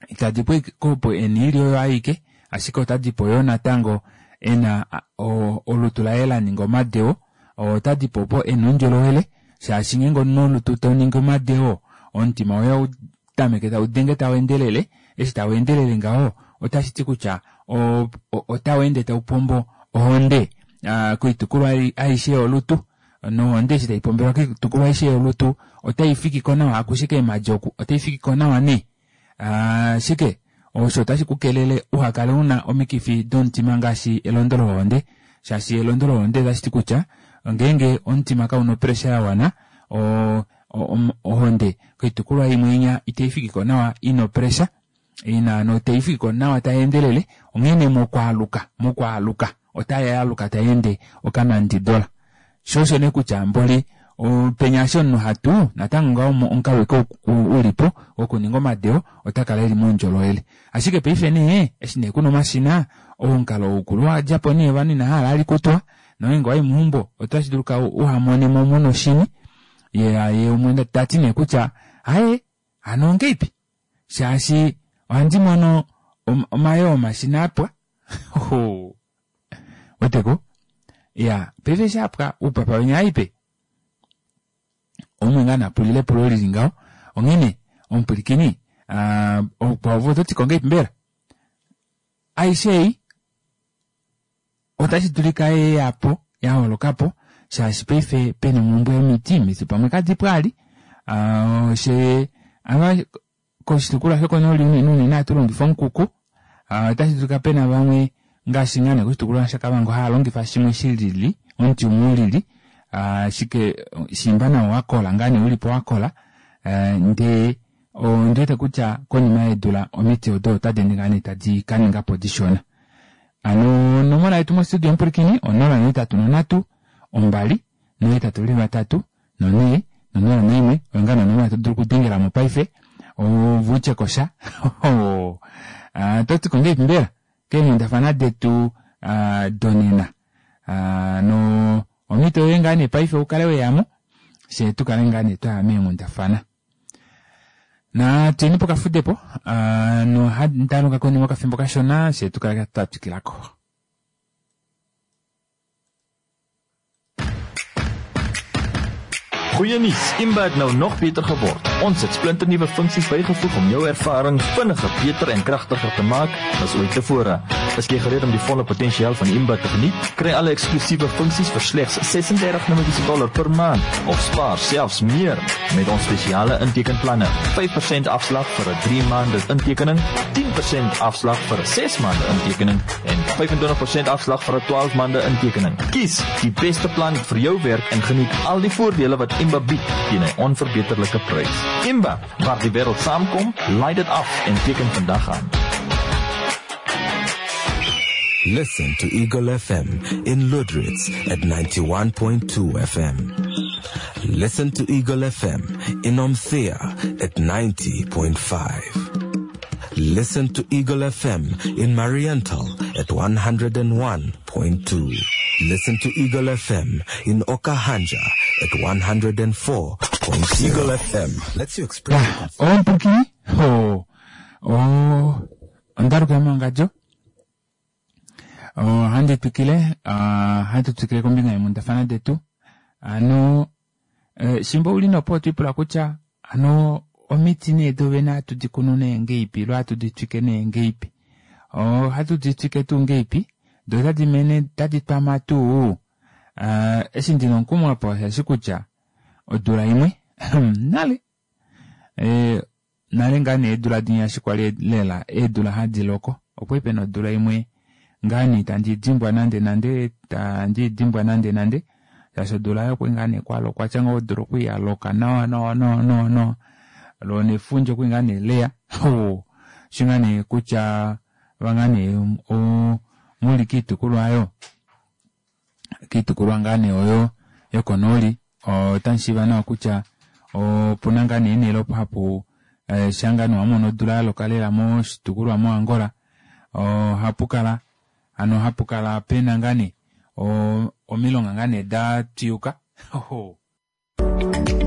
itadi po opo ena oilya oyo aike, ashike otadi po yoo natango ena olutu laye la ninga omadeo, otadi po opo ena oundjolowele, shaashi ngeenge omunhu olutu tau ningi omadeo, omutima woye ohau tameke tau denge tau endelele, eshi tau endelele ngaho otashi ti kutya otau ende tau pombo ohonde koitukulwa aishe yolutu, nohonde eshi tai pombelwa koitukulwa aishe yolutu otai fiki ko nawa akushe keemhadi oku, otai fiki ko nawa nee. Ashike osho otashi ku kelele uha kale una omikifi domutima ngaashi elondo lohonde, shaashi elondo lohonde otashi ti kutya ngeenge omutima kauna opressure ya wana, ohonde koitukulwa imwe inya itai fiki ko nawa ina opressure, ina notai fiki ko nawa tai endelele, onghee mokwaaluka, mokwaaluka otai aluka tai ende okanandidola. Sho osho nee kutya mboli penya eshi omunhu hatu natango ngaho omukalo ike ulipo wokuninga omadeo ota kala eli moundjolowele. Ashike paife nee eshi nee kuna omashina, omukalo ukulu wa dja po nee ovanhu ina hala ali kutwa, nongeenge wayi meumbo otashi dulika uhamone mo muna oshini. Ye umwe ta ti nee kutya aye hano ongeipi, shaashi ohandi mono omayoo omashina apwa. Weteko? Ya, paife eshi apwa oupapa wenya aipe. Omwe ngaa napulile epulo lili ngaho. Onghene omupwilikini, oukwao oto ti ko ngeipi mbela? Aishe ei otashi dulika ye ya po, ya holoka po, shaashi paife pena omhumbwe yomiti, omiti pamwe kadipo ali. She ava koshitukulwa shokonooli unene unene ohatu longifa omukuku. Otashi dulika pena vamwe ngaashi ngaa nee koshitukulwa shaKavango haya longifa shimwe shi lili, omuti umwe u lili, ashike shimba nawo wa kola ngaa nee ulipo wa kola, ndee ondi wete kutya konima yeedula omiti odo otadi ende ngaa nee tadi ka ninga po dishona. Hano onomola yetu mostudio omupwilikini 083 2 823 4 01 oyo ngaa nee onomola to dulu okudengela mo paife ove utye ko sha. Oto ti ko ngahelipi mbela keenghundafana detu donena? No omhito yoye ngaa nee paife u kale weya mo, fye tu kale ngaa nee twaya meenghundafana. Na tuyeni pokafudepo, nohandi aluka konima okafimbo kashona, fye tu kale twa twikilako. Goeie nuus, Imba het nou nog beter geword. Ons het splinternuwe funksies bygevoeg om jou ervaring vinniger, beter en kragtiger te maak as ooit tevore. Is jy gereed om die volle potensiaal van Imba te geniet? Kry alle eksklusiewe funksies vir slegs 36 Namibiese dollar per maand of spaar selfs meer met ons spesiale intekenplanne. 5% afslag vir 'n 3 maande intekening, 10% afslag vir 'n 6 maande intekening en 25% afslag vir 'n 12 maande intekening. Kies die beste plan vir jou werk en geniet al die voordele wat Imba bied teen 'n onverbeterlike prys. Imba, waar die wêreld saamkom, laai dit af en teken vandag aan. Listen to Eagle FM in Lüderitz at 91.2 FM. Listen to Eagle FM in Omuthiya at 90.5. Listen to Eagle FM in Mariental at 101.2. Listen to Eagle FM in Okahandja at 104.0. Eagle FM lets you express Ya, omupulakeni ho o ondaluka yomangadjo ohandi twikile ah, hatu twikile kombinga yeenghundafana detu ano eh, shimbo uli nopo otwiipula kutya ano omiti nee dovene hatu di kunu nee ngeipi ilo hatu di twike nee ngeipi ohatu di twike tuu ngeipi do otadi mene tadi twama tuu Ah, eshi ndina omukumo apa osheshi kutya odula imwe nale eh, nale ngaa nee eedula dinya eshi kwali lela eedula hadi loko okwali pena odula imwe ngaa nee itandi dimbwa nande nande tandi dimbwa nande nande shaashi odula oyo okwali ngaa nee kwalokwa tya ngaho odula okwali yaloka nawa nawa nawa nawa nawa loo nefundja okwali ngaa nee leya shi ngaa nee kutya vangaa nee muli kiitukulwa oyo kiitukulwa ngaa nee oyo yokonooli otamu shiiva nawa kutya opuna ngaa nee eenhele opo hapu eh, sha ngaa nee wamono odula yaloka lela moshitukulwa moAngola ohapu kala ano hapu kala pena ngaa nee omilonga ngaa nee da twiyuka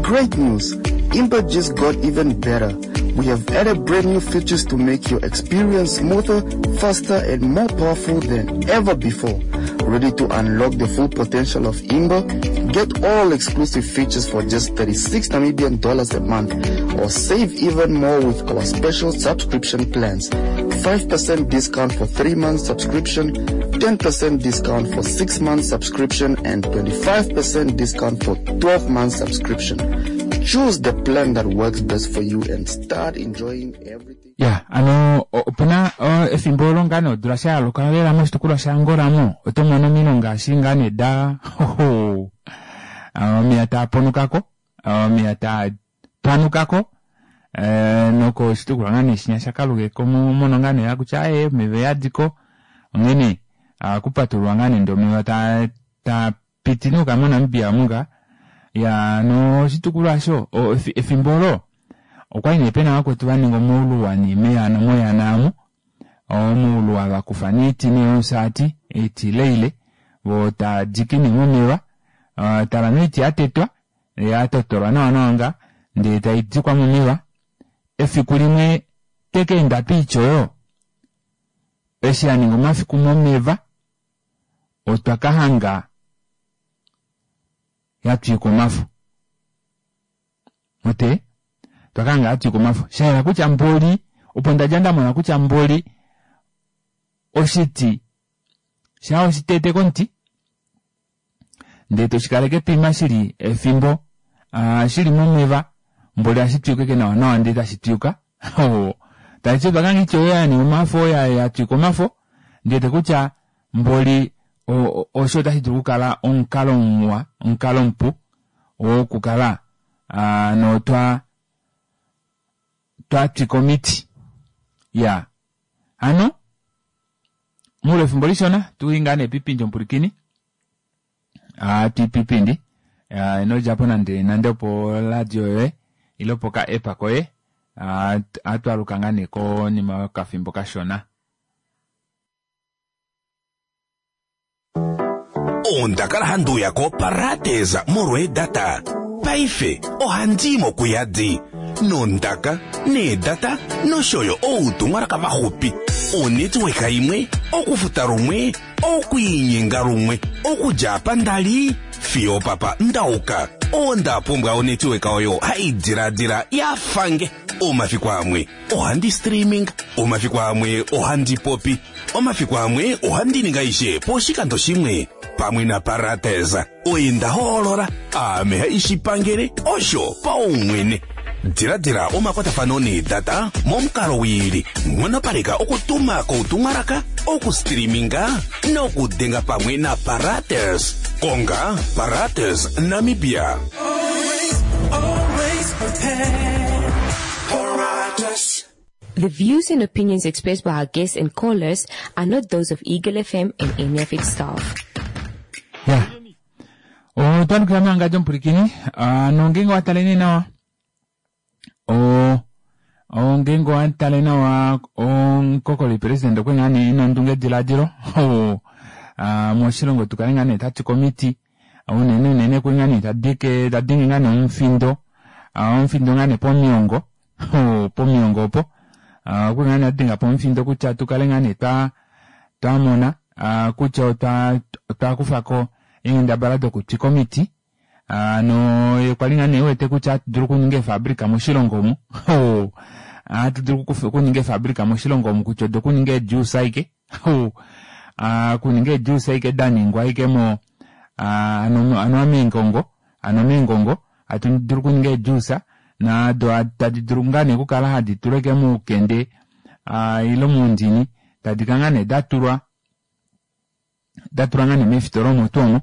Great news! Imba just got even better. We have added brand new features to make your experience smoother, faster, and more powerful than ever before. Ready to unlock the full potential of Imba? Get all exclusive features for just 36 Namibian dollars a month or save even more with our special subscription plans. 5% discount for 3 months subscription, 10% discount for 6 months subscription, and 25% discount for 12 months subscription. Choose the plan that works best for you and start enjoying everything. Ya ano opuna efimbo olo ngaa nee odula sha yaloka lela moshitukulwa shaAngola mo oto mono omilonga eshi ngaa nee da omeya taa ponukako omeya taa panukako eh, nokoshitukulwa ngaa nee shinya shaKaluge mono ngaa nee kutya aye omeva oyadiko onghene ohaku patululwa ngaa nee ndee omeva taa taa piti nuuka moNamibia omu ngaa ya noshitukulwa osho efimbo olo okwali nee pena vakwetu vaninga omauluwa nee meyana moyana amu omauluwa vakufa nee oiti nee yomusaati oiti ileile voo tadiki nee momeva tala nee oiti yatetwa yatotolwa nawa nawa ngaa ndee taidikwa momeva efiku limwe tekaenda poiti oyo eshi yaninga omafiku momeva otwa kahanga yatwika omafo ote twakahanga yatwika omafo shayela kutya mboli opo ndadja ndamona kutya mboli oshiti shaa oshitete komuti ndee toshikaleke poima shili efimbo shili momeva mboli ohashi twiyuka ashike nawa nawa ndee tashi twiyuka tashiti otwa kanga oiti oyo yaninga omafo yatwika omafo ndiwete kutya mboli osho otashi dulu okukala omukalo muwa omukalo mupu wokukala notwa twatwika omiti ya hano muule wefimbo lishona tuli ngaa nee pipindi omupulikini twipipindi ino djapo nande nande opo radio yoye ile opo ka app koye atwaluka ngaa nee konima yokafimbo kashona. Onda kala handi uya koParadis molweedata. Paife ohandi i mo kuyadi nondaka, needata nosho yo outumwalaka vaxupi. Onetworka imwe, okufuta lumwe, okwiinyenga lumwe, okudja apa nda li fiyo opapa nda uka. Onda pumbwa onetworka oyo hai diladila ya fa nge. Omafiku amwe ohandi streaming, omafiku amwe ohandi popi, omafiku amwe ohandi ningi aishe poshikando shimwe. Pamwe naParates, oye nda hoolola, aame haishi pangele, osho paumwene. Diladila omakwatafano needata momukalo wiili, nghonopaleka okutuma koutumwalaka, okustreaminga nokudenga pamwe naParates. Konga Parates Namibia. Always prepared. Paratus. The views and opinions expressed by our guests and callers are not those of Eagle FM and any of its staff. Ya. Otwa lukila mewangadjo omupulikini. Nongenge wa taleni nawa. O Ngeenge owa tale nawa omukokoli president okwe ngaa nee ena ondunge diladilo moshilongo tukale ngaa nee tatu komiti unene unene kwe ngaa nee tadike tadingi ngaa nee omufindo omufindo ngaa nee pomiongo pomiongo opo okwe ngaa nee adinga po omufindo kutya tukale ngaa nee twa twamona kutya otwa otwa kufako eenghendabala dokutwika omiti Hano ye kwa li ngaa nee wete kutya hatu dulu okuninga eefabrika moshilongo omu. Ohatu dulu okuninga eefabrika moshilongo omu kutya odokuninga eejuice aike. Okuninga eejuice aike da ningwa aike mo hano anuwa meengongo, hano meengongo hatu dulu okuninga eejuice nado tadi dulu ngaa nee okukala hadi tulwa aike moukende ile moundini tadi kala ngaa nee da tulwa da tulwa ngaa nee meefitola omo tuu omo.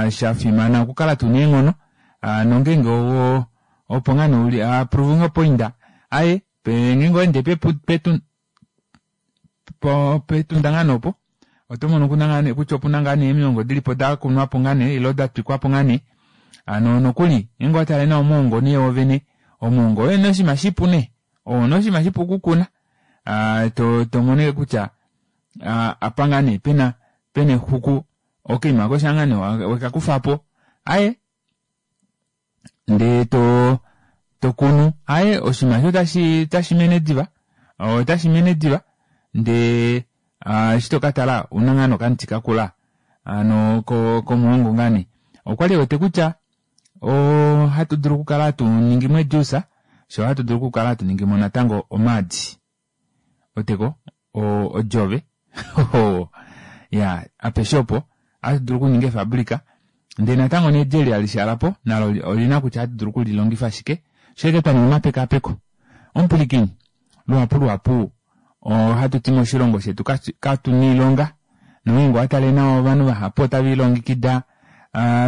Sha fimana okukala tuna eenghono nongeenge opo ngaa nee uli proving a point aye ngeenge owa ende petunda ngaa nee opo oto mono kuna ngaa nee kutya opuna ngaa nee emilongo dilipo da kunwapo ngaa nee ile da twikwapo ngaa nee. Hano nokuli ngeenge owa tale nawa omuhongo nee wovene, omuhongo oye nee oshinima shipu nee, oo nee oshinima shipu okukuna to mono ashike kutya apa ngaa nee pena pena exuku okaima kosha ngaa nee wekakufapo aye ndee to to kunu aye oshinima osho otashi otashi mene diva otashi mene diva ndee eshi to katala ouna ngaa nee okamuti kakula hano komuhongo ngaa nee okwali ewete kutya ohatu dulu okukala hatu ningimo ejuice sho ohatu dulu okukala hatu ningimo natango omaadi Oteko odjove ya apeshe opo ohatu dulu okuninga efabrika ndee natango needi eli hali shaalapo nalo olina kutya ohatu dulu okulilongifa shike sho ashike twa ninga omapekapeko. Omupwilikini, luhapu luhapu ohatu ti moshilongo shetu katuna oilonga nongeenge owa tale nawa ovanhu vahapu otave lilongekida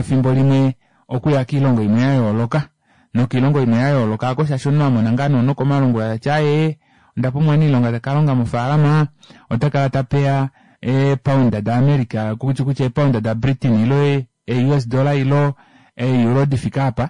fimbo limwe okuya koilongo imwe ya yooloka. Nokiilongo imwe ya yooloka ako shaashi omunhu a mona ngaa nee nokomalungula ta ti aaye onda pumbwa omuniilonga ta ka longa mofaalama ota kala ta peya eepound daAmerica kutya kutya eepound daBritain ilo ee-US dollar ilo ee-euro di fike apa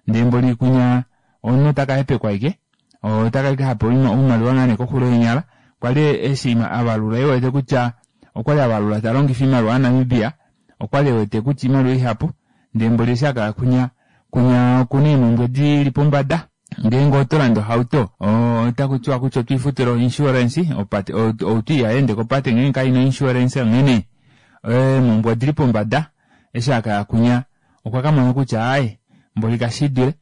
ndee mboli kunya omunhu ota ka hepekwa aike ota ka ha pewa oimaliwa ngaa nee koxulo yeenyala. Kwali eshi a valula e wete kutya okwali a valula ta longifa oimaliwa yaNamibia okwali e wete kutya oimaliwa ihapu ndee mboli eshi a kala kunya Kunya okuna eemhumbwe di li pombada. Ngeenge oto lande ohauto, otaku tiwa kutya oto i futile oinsurance, opate, ohauto ihayi ende kopate ngeenge kai na oinsurance, onghene eemhumbwe odi li pombada. Eshi a ka ya kunya okwa ka mona kutya aaye mboli kashi dule.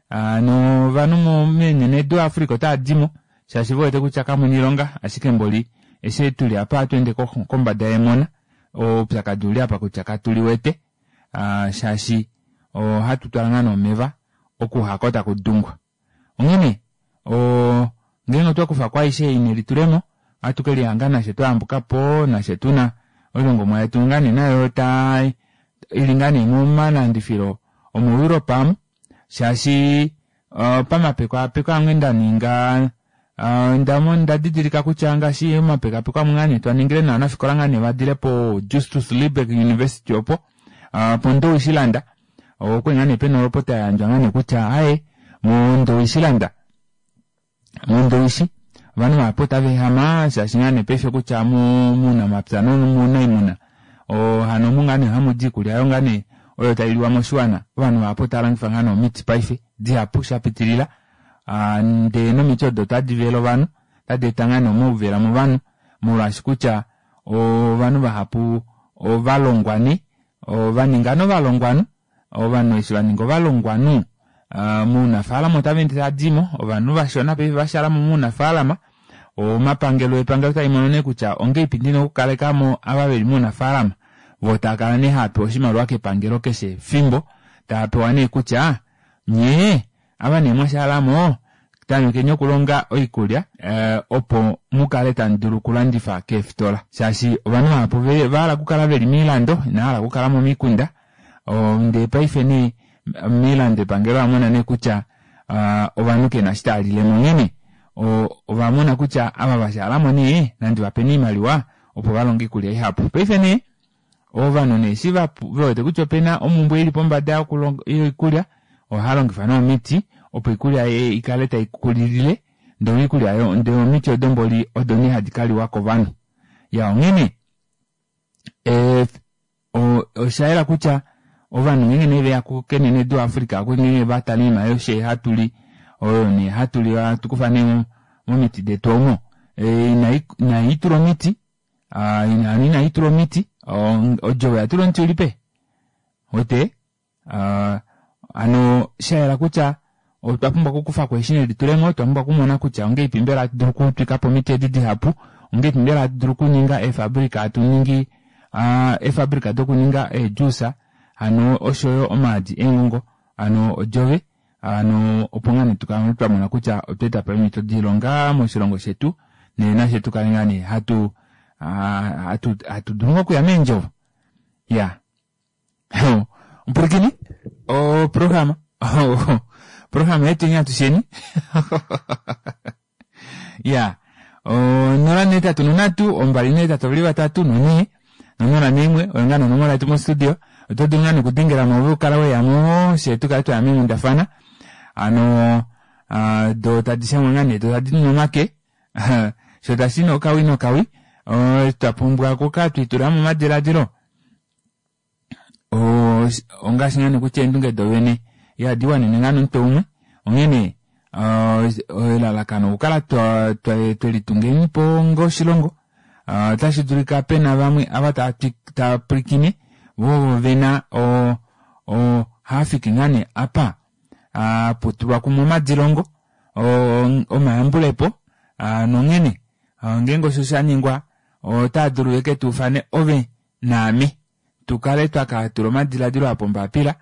Hano ovanhu menenedu Africa otava di mo shaashi ve wete kutya kamu na oilonga, ashike mboli eshi tuli apa ohatu ende kombada yemona, oupyakadi ouli apa kutya katu liwete. Shaashi ohatu twala ngaa nee omeva oku hako taku dungwa. Onghene ngeenge otwa kufa ko aishe ei nelitulemo, ohatu ke lihanga nafye twa yambuka po, nafye tuna oilongomwa yetu ngaa nee nayo ta ili ngaa nee momalandifilo omoEurope amu, shaashi pamapekapeko amwe nda ninga onda didilika kutya ngaashi omapekapeko amwe ngaa nee twa ningile novanafikola ngaa nee va dile po Justus Lieberg University opo poNdowishi-land okwali ngaa nee pena olopota ya yandjwa ngaa nee kutya aaye moNdowishi-land moNdowishi ovanhu vahapu otava ehama shaashi ngaa nee paife kutya muunamapya nomuunaimuna hano omu ngaa nee hamu di iikulya oyo ngaa nee oyo tai liwa moshiwana ovanhu vahapu otava longifa ngaa nee omiti paife dihapu sha pitilila ndee nomiti odo otadi vele ovanhu otadi eta ngaa nee omauvela movanhu molwaashi kutya ovanhu vahapu ova longwa nee ova ninga nee ovalongwanhu Ovanhu eshi va ninga ovalongwanhu mounafaalama otava ende tava di mo, ovanhu vashona paife va shala mo mounafaalama. Omapangelo epangelo tali mono nee kutya ongeipi ndina okukaleka mo ava veli mounafaalama, voo tava kala nee hava pewa oshimaliwa kepangelo keshe efimbo, tava pewa nee kutya nyee ava nee mwa shala mo tamekeni okulonga oikulya opo mu kale tamu dulu okulandifa keefitola shaashi ovanhu vahapu va hala okukala veli moilando inava hala okukala momikunda. Ndee paife nee moilando epangelo ola mona nee kutya ovanhu kena eshi tava lile mo onghene ova mona kutya ava va shalamo nee nandi vapeni oimaliwa opo va longe oikulya ihapu. Paife nee ovanhu nee eshi ve wete kutya opena omumbwe ili pombada yoikulya ohava longifa nee omiti opo oikulya ikale tai kulilile. Ndee oikulya oyo ndee omiti odo mboli odo nee hadi kaliwa kovanhu. Ya onghene eh, osha yela kutya ovanhu ngeenge nee veya kenenedu Africa oku ngeenge va tala oinima yoshe hatu li oyo nee hatu li hatu kufa nee momiti detu omo eh, inai tula omiti ah, inai tula omiti odjovo oya tula omuti ulipe wete Ah, hano sha yela kutya otwa pumbwa okukufa ko eshi nelitulemo, otwa pumbwa okumona kutya ongeipi mbela hatu dulu okutwika po omiti edi dihapu, ongeipi mbela hatu dulu okuninga eefabrika hatu ningi ah, eefabrika dokuninga eejuice, hano oshoyo omaadi eengongo, hano odjove, hano opo ngaa nee tukale twa mona kutya otwa eta po eemhito doilonga moshilongo shetu, nee nafye tu kale ngaa nee hatu ah, hatu hatu dulu ngoo okuya meendjovo. Ya. Mpulakeni oprograma oprograma yetu atusheni ya 083 283 4 no41 oyo ngaa nonomola yetu mostudio oto dulu ngaa nokudengela mo ove ukala weya mo fye tukale twaya meenghundafana ano do tadi shangwa ngaa nee do tadi nu omake sho tashi nokawi nokawi twa pumbwa okukala twiitula momadiladilo ongaashi ngaa nee kutya eendunge dovene ihadi wanene ngaa nomutwe umwe onghene elalakano okukala twelitungeni po onga oshilongo otashi dulika pena vamwe ava tava pwilikine vo vena haafiki ngaa nee apa putulwa kumwe omadilongo omayambulepo nonghene ngeenge osho sha ningwa otaa dulu veke tuufane ove naame tu kale twa ka tula omadiladilo a pombapila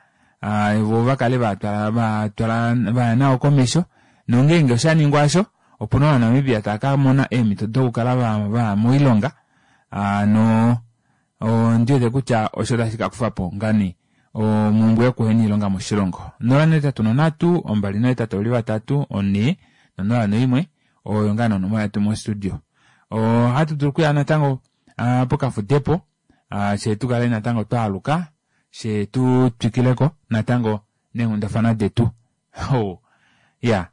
vo va kale va twala va twala vaya nao komesho nongeenge osha ningwa osho opuna Ovanamibia tava ka mona eemhito dokukala va vaya moilonga no ondi wete kutya osho tashi ka kufa po ngani omumbwe yokuhena oilonga moshilongo. 083 283 4 no01 oyo ngaa nonomola yetu mostudio. Ohatu dulu okuya natango pokafudepo fye tu kale natango twa aluka fye tu twikileko natango neenghundafana detu. Oh, yeah.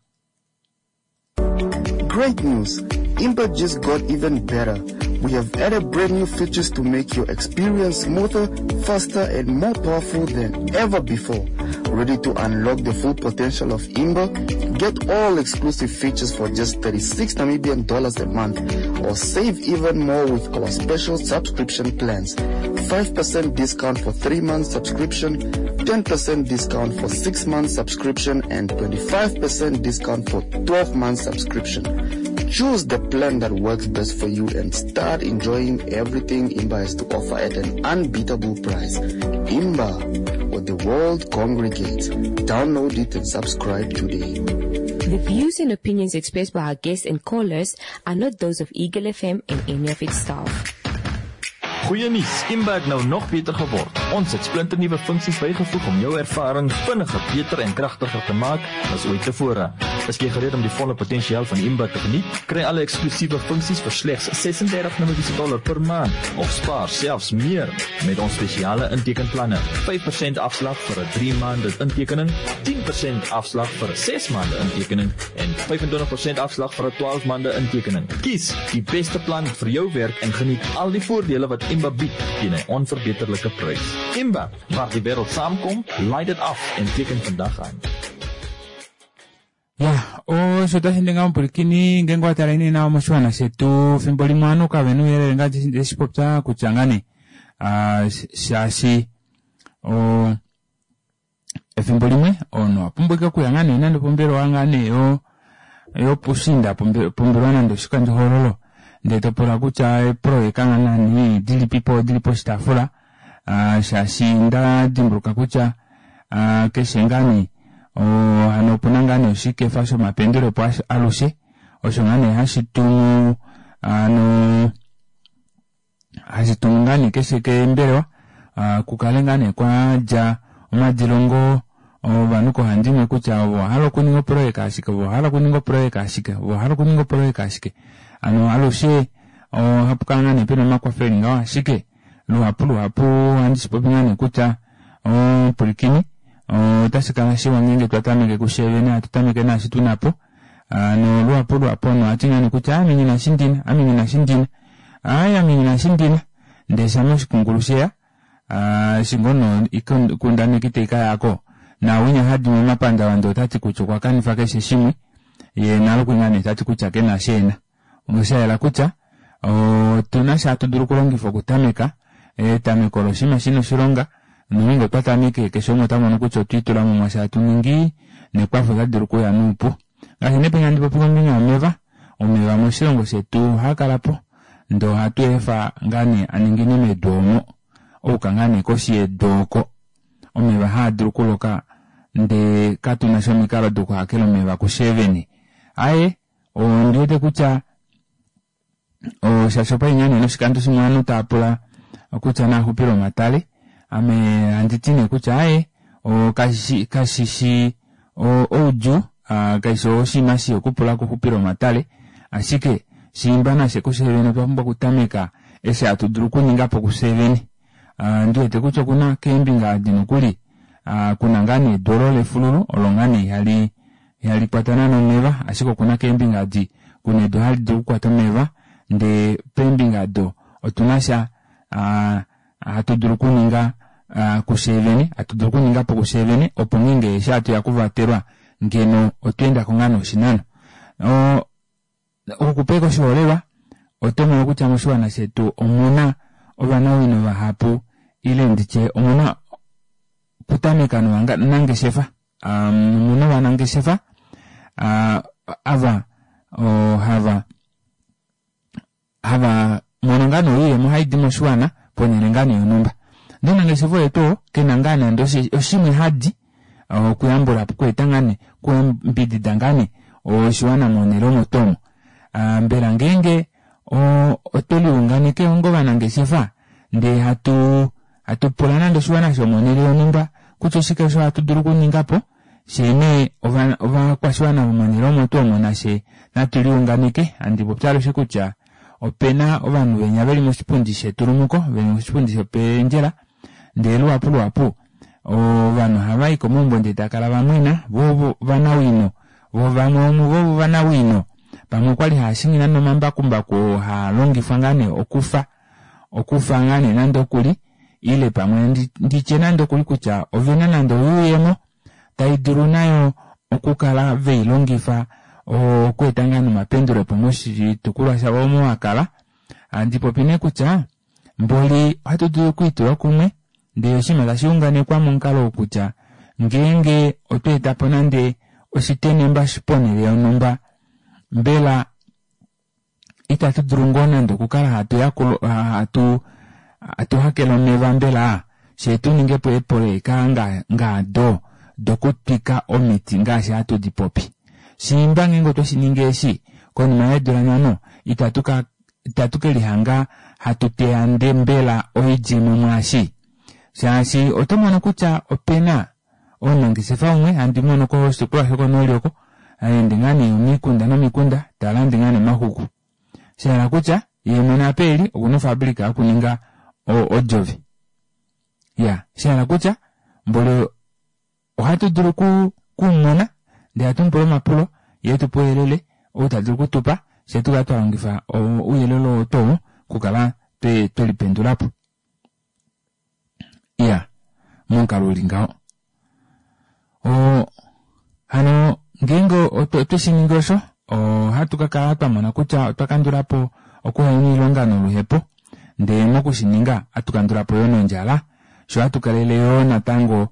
Great news! Imba just got even better. We have added brand new features to make your experience smoother, faster, and more powerful than ever before. Ready to unlock the full potential of Imba? Get all exclusive features for just 36 Namibian dollars a month, or save even more with our special subscription plans. 5% discount for 3 months subscription, 10% discount for 6 months subscription, and 25% discount for 12 months subscription. Choose the plan that works best for you and start enjoying everything Imba has to offer at an unbeatable price. Imba, where the world congregates. Download it and subscribe today. The views and opinions expressed by our guests and callers are not those of Eagle FM and any of its staff. Goeie nuus, Imba het nou nog beter geword. Ons het splinternuwe funksies bygevoeg om jou ervaring vinniger, beter en kragtiger te maak as ooit tevore. Is jy gereed om die volle potensiaal van Imba te geniet? Kry alle eksklusiewe funksies vir slegs 36 Namibiese dollar per maand of spaar selfs meer met ons spesiale intekenplanne. 5% afslag vir 'n 3 maande intekening, 10% afslag vir 'n 6 maande intekening en 25% afslag vir 'n 12 maande intekening. Kies die beste plan vir jou werk en geniet al die voordele wat Imba bied teen 'n onverbeterlike prys. Imba, waar die wêreld saamkom, laai dit af en teken vandag aan. Ya, osho tashi ninga omupwilikini ngeenge wa tala nawa moshiwana shetu fimbo limwe ovanhu kave na ouyelele ngaashi ndeshi popya kutya ngaa nee shaashi efimbo limwe omunhu owa pumbwa ashike okuya ngaa nee nande opombelewa ngaa nee yopushiinda pombelewa nande oshikandjohoololo ndee to pula kutya eeprojeka ngaa nee dilipipo dili poshitaafula shaashi nda dimbuluka kutya keshe ngaa nee hano opuna ngaa nee oshikefa shomapendulepo alushe osho ngaa nee hashi tumu hano hashi tumu ngaa nee keshe keembelewa kukale ngaa nee kwadja omadilongo ovanhu kohandimwe kutya ovo ovahala okuninga oprojeka ashike ovo ovahala okuninga oprojeka ashike ovo ovahala okuninga oprojeka ashike hano alushe ohapu kala ngaa nee pena omakwafo eli ngaho ashike luhapu luhapu ohandi shipopi ngaa nee kutya omupwilikini otashi kala shiwa ngeenge twa tameke kushe vene hatu tameke naashi tuna po. Hano luhapu luhapu omunhu ohati ngaa nee kutya ame nghina eshi ndina, ame nghina eshi ndina, aai ame nghina eshi ndina, ndee shama oshikungulu sheya, eshi ngoo nee oikundaneki tai ka yako, naawinya hadi momapandavanda otati kutya okwa kanifa keshe shimwe, yee nale okuli ngaa nee tati kutya kena eshi ena. Osha yela kutya otuna sha hatu dulu okulongifa okutameka, etameko olo oshinima shina oshilonga, nongeenge otwa tameke keshe umwe ota mono kutya otwa itulamo mwaashi hatu ningi, nekwafo otali dulu okuuya noupu. Ngaashi nee penya handi popi kombinga yomeva, omeva moshilongo shetu ohaa kala po ndee ohatu efa ngaa nee a ningine medu omo, ouka ngaa nee koshi yedu oko omeva haa dulu okuloka ndee katuna sha omikalo dokuhakela omeva kushee vene. Aaye, ondi wete kutya shaashi opa li ngaa nee noshikando shimwe ovanhu tava pula kutya naa xupile omatale, ame handi ti nee kutya aaye kashi shi oudjuu, kashi shi oshinima shii okupula okuxupila omatale, ashike shiimba nafye kufye vene otwa pumbwa okutameka eshi hatu dulu okuninga po kufye vene. Ndi wete kutya okuna keembinga adi nokuli kuna ngaa nee edu olo lefululu olo ngaa nee ihali ihali kwata naana omeva, ashike okuna keembinga adi kuna edu hali dulu okukwata omeva, ndee peembinga odo otuna sha hatu dulu okuninga kufye vene, hatu dulu okuninga po kufye vene opo ngeenge eshi hatu ya okuvatelwa ngeno otwa endako ngaa nee oshinano. Okukupeka oshiholelwa, oto mono kutya moshiwana shetu omuna ovanawino vahapu ile nditye omuna okutameka novanangeshefa. Omuna ovanangeshefa ava hava hava mono ngaa nee oiyemo hai di moshiwana ponhele ngaa nee yonhumba. Ndee omunangeshefa oye tuu oo kena ngaa nande oshimwe hadi okuyambula po, okweeta ngaa nee, okuyambidida ngaa nee oshiwana monhele omo tuu omo. Mbela ngeenge otwe liunganeke onga ovanangeshefa ndee hatu hatu pula nande oshiwana shomonhele yonhumba kutya oshike osho hatu dulu okuninga po, fyee nee ovakwashiwana vomonhele omo tuu omo nafye natu liunganeke. Handi popi alushe kutya opena ovanhu venya veli moshipundi shetulumuko, veli moshipundi shopendjela, ndee luhapu luhapu ovanhu ohava i komaumbo ndee tava kala va mwena, vo ovanawino, vo vamwe vomuvo ovo ovanawino pamwe okwali hava shingi nande omambakumbaku oo haa longifwa ngaa nee okufa okufa ngaa nee nande okuli ile pamwe nditye nande okuli kutya ovena nande oyuuyemo tai dulu nayo okukala vei longifa okweeta ngaa nomapendulepo moshitukulwa shavo omo va kala. Handi popi nee kutya mboli ohatu dulu okwiitula kumwe ndee oshinima tashi unganekwa momukalo oo kutya ngeenge otwa eta po nande oshitenemba ponhele yonhumba mbela itatu dulu ngoo nande okukala hatu yakula hatu hatu hakele omeva mbela fye tu ninge po eepoloyeka ngaado dokutwika omiti ngaashi hatu di popi. Shiimba ngeenge otwe shi ningi eshi, konima yeedula nhano itatu ka itatu ke lihanga hatu teya nde mbela oidjemo mwaashi? Shaashi oto mono kutya ope na omunangeshefa umwe handi mono koshitukulwa shokonooli oko, ha ende ngaa nee omikunda nomikunda ta lande ngaa nee omaxuku. Sha hala kutya ye mwene apa eli okuna ofabulika yokuninga odjovi. Ya, sha hala kutya mboli ohatu dulu ku kumona ndee hatu mu pula omapulo ye etupe ouyelele ou ta dulu okutupa fye tu kale twa longifa ouyelele oo tuu okukala twe lipendula po. Iya, momukalo uli ngaho. Hano ngeenge otwe shi ningi osho, ohatu ka kala twa mona kutya otwa kandula po okuhena oilonga noluhepo, ndele moku shi ninga ohatu kandula po yo nondjala, sho hatu kalele yo natango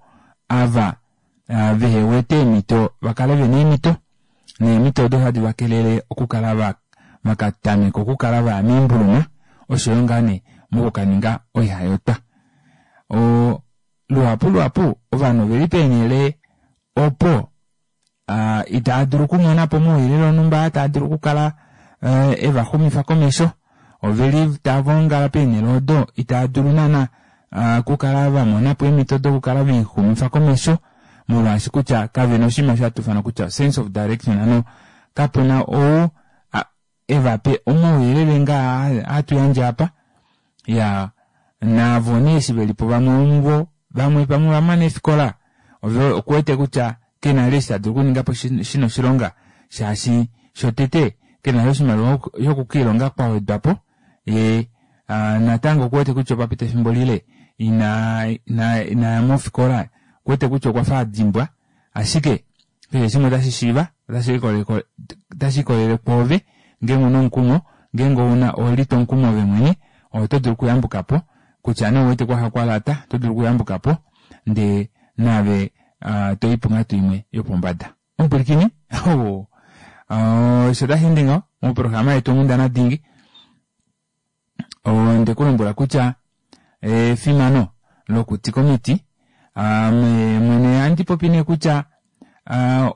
ava vehe wete eemhito va kale ve na eemhito, neemhito odo hadi va kelele okukala va ka tameka okukala va ya moimbuluma osho yo ngaa nee mokukaninga oihayotwa. Luhapu luhapu ovanhu ove li peenhele opo itaa dulu okumona po omauyelele onhumba taa dulu okukala e va xumifa komesho. Ove li tava ongala peenhele odo itaa dulu naana okukala va mona po eemhito dokukala ve lixumifa komesho molwaashi kutya kave na oshinima osho hatu ifana kutya sense of direction, hano kapu na ou e va pe omauyelele ngaa hatu yandje apa. Ya naavo nee eshi ve li po vamwe vomuvo vamwe pamwe ova mana eefikola ove okuwete kutya ke na vali eshi ta dulu okuninga po shi na oshilonga. Shaashi shotete kena oshimaliwa shoku kiilonga kwa wedwapo ye natango okuwete kutya opa pita efimbo lile ina ina inaya mofikola okuwete kutya okwa fa adimbwa ashike keshe shimwe otashi shiiva otashi ikolele kwoove ngeenge una omukumo ngeenge ouna owelitwa omukumo ove mwene oto dulu okuyambuka po kutya nee ouwete kwafa kwalata oto dulu okuyambuka po ndee naave toyi ponghatu imwe yopombada. Omupwilikini oh, osho tashi ende ngaho moprograma yetu Onghundana Dingi. Onde ku lombwela kutya efimano lokutika omiti ame mwene ohandi popi nee kutya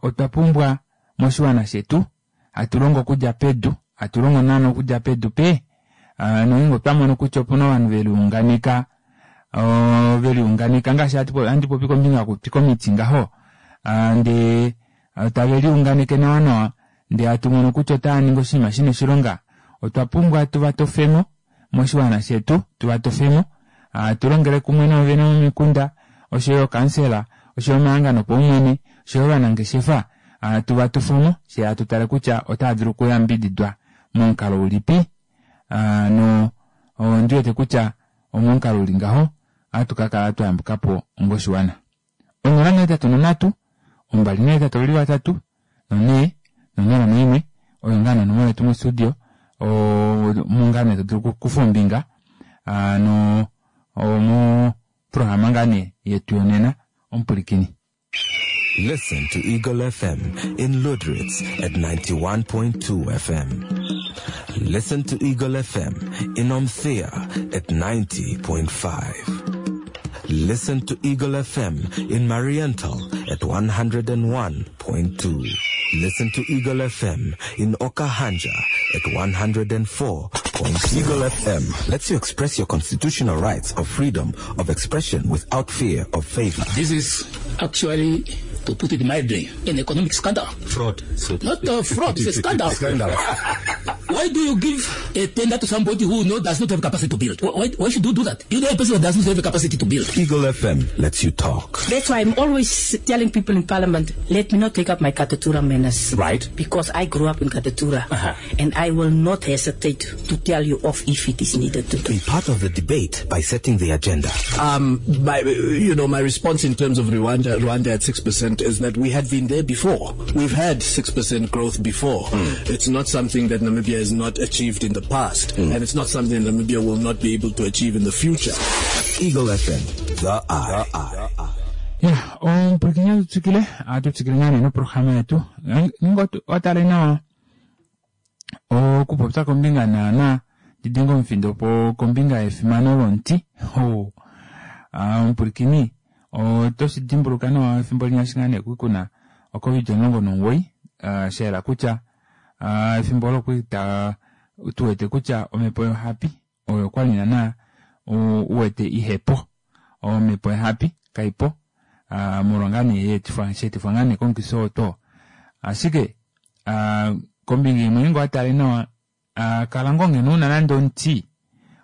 otwa pumbwa moshiwana shetu hatu longo okudja pedu hatu longo naana okudja pedu pe nongeenge otwa mono kutya opuna ovanhu ve liunganeka ve liunganeka ngaashi handi popi kombinga yokutika omiti ngaho ndee tave liunganeke nawa nawa ndee hatu mono kutya otava ningi oshinima shina oshilonga otwa pumbwa tu va tofemo moshiwana shetu tu va tofemo tu longele kumwe noovene vomikunda oshoyo okansela oshoyo omahangano opaumwene oshoyo ovanangeshefa tu va tofemo fye hatu tale kutya otava dulu okuyambididwa momukalo ulipi no ondi wete kutya omomukalo uli ngaho ohatu ka kala twa yambuka po ongoshiwana. 083 283 4 no01 oyo ngaa nonomola yetu mostudio omo ngaa nee to dulu okukufa ombinga no omoprograma ngaa nee yetu yonena omupwilikini. Listen to Eagle FM in Lüderitz at 91.2 FM. Listen to Eagle FM in Omthea at 90.5. Listen to Eagle FM in Mariental at 101.2. Listen to Eagle FM in Okahandja at 104. Eagle FM lets you express your constitutional rights of freedom of expression without fear of favor. This is actually, to put it mildly, an economic scandal. Fraud. So Not a fraud, it's a scandal. Scandal. Why do you give a tender to somebody who does not have capacity to build? Why should you do that? You know a person who does not have capacity to build. Eagle FM lets you talk. That's why I'm always telling people in Parliament, let me not take up my Katutura manners. Right. Because I grew up in Katutura. And I will not hesitate to tell you off if it is needed to do. Be part of the debate by setting the agenda. My response in terms of Rwanda at 6% is that we had been there before. We've had 6% growth before. It's not something that Namibia has not achieved in the past, and it's not something that Namibia will not be able to achieve in the future. Eagle FM, the eye. Ya, omupwilikini atu tsikile, atu tsikile ngaa nee noprograma yetu. Ngeenge owa tale nawa okupopya kombinga naana didinga omufindo po kombinga yefimano lomuti. Oh, omupwilikini oto shi dimbuluka nawa efimbo linya eshi ngaa nee kwali kuna oCovid 19, sha yela kutya efimbo olo kwali tu wete kutya omhepo yohapi oyo kwali naana u wete ihepo. Omhepo yohapi kaipo molwa ngaa nee yeetifwa, sheetifwa ngaa nee komukifi oo too. Ashike kombinga imwe ngeenge owa tale nawa kala ngoo ngeno una nande omuti,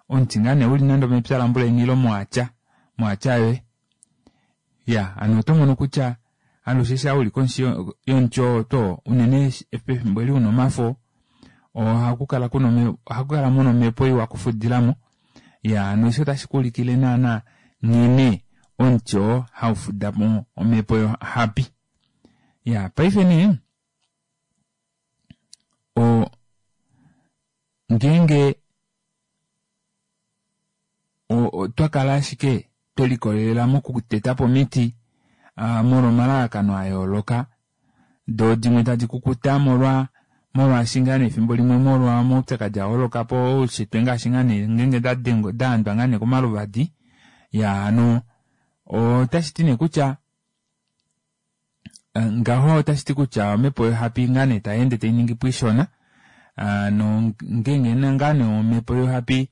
omuti ngaa nee uli nande omepya lambuleni ile moatya, moatya yoye. Ya, hano oto mono kutya alushe sha uli koshi yomuti oo too, unene pefimbo eli una omafo, ohaku kala kuna ohaku kala muna omhepo iwa okufudilamo. Ya, hano eshi otashi kuulikile naana nghene omuti oo haufuda mo omhepo yohapi. Ya, paife nee, o, ngeenge otwa kala ashike twe likolelela mokuteta po omiti molwa omalalakano a yooloka, doo dimwe tadi kukuta molwa molwaashi ngaa nee efimbo limwe molwa omaupyakadi a holoka po oushitwe ngaashi ngaa nee ngeenge da handwa ngaa nee komaluvadi. Ya, hano otashi ti nee kutya ngaho otashi ti kutya omhepo yohapi ngaa nee tai ende tai ningi po ishona. No ngeenge ngaa nee omhepo yohapi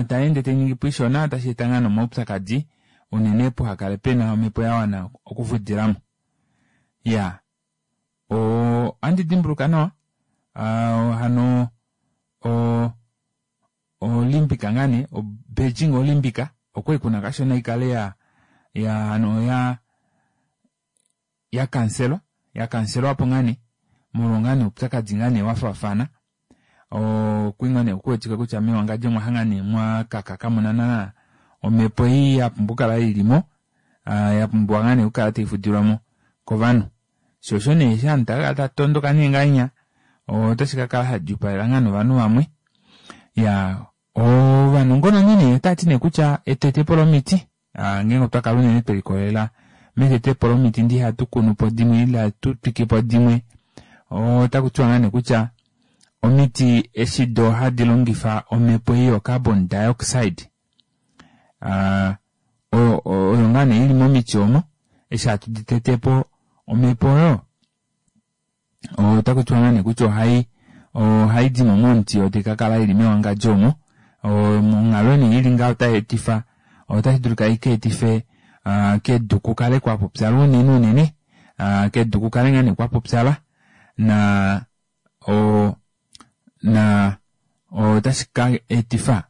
tai ende tai ningi po ishona, otashi eta ngaa nee omaupyakadi unene puha kale pena omhepo ya wana okufudilamo. Ya, ohandi dimbuluka nawa hano Olympic ngaa nee, o Beijing Olympic okwali kuna kashona ikale ya ya hano ya ya kanselwa, ya kanselwa po ngaa nee. Molwa ngaa nee oupyakadi ngaa nee wafaafana. Okwii ngaa nee kuwetike kutya mewangadjo omwa hanga nee mwa kaka kamuna naana omhepo ei ya pumbwa okukala ilimo, ya pumbiwa ngaa nee okukala taifudilwamo kovanhu. Shoo osho nee eshi ovanhu tava kala tava tondoka nee ngahenya otashi kakala shadjuupalela ngaa novanhu vamwe. Iyaa ovanongononi nee otavati nee kutya etetepo lomiti ngeenge otwa kala unene twelikolelela metetepo lomiti ndee ihatu kunupo dimwe ile hatu twikepo dimwe, otaku tiwa ngaa nee kutya omiti eshi doo hadi longifa omhepo ei yo carbon dioxide oyo ngaa nee ili momiti omo eshi hatu di tetepo omhepo oyo otaku tiwa ngaa nee kutya ohai ohai dimo momuti yo tai kakala ili mewangadjo omo. Onghalo nee ili ngaho otai etifa otashi dulika ika etife kedu kukale kwapupyala unene unene, kedu kukale ngaa nee kwapupyala na na otashi ka etifa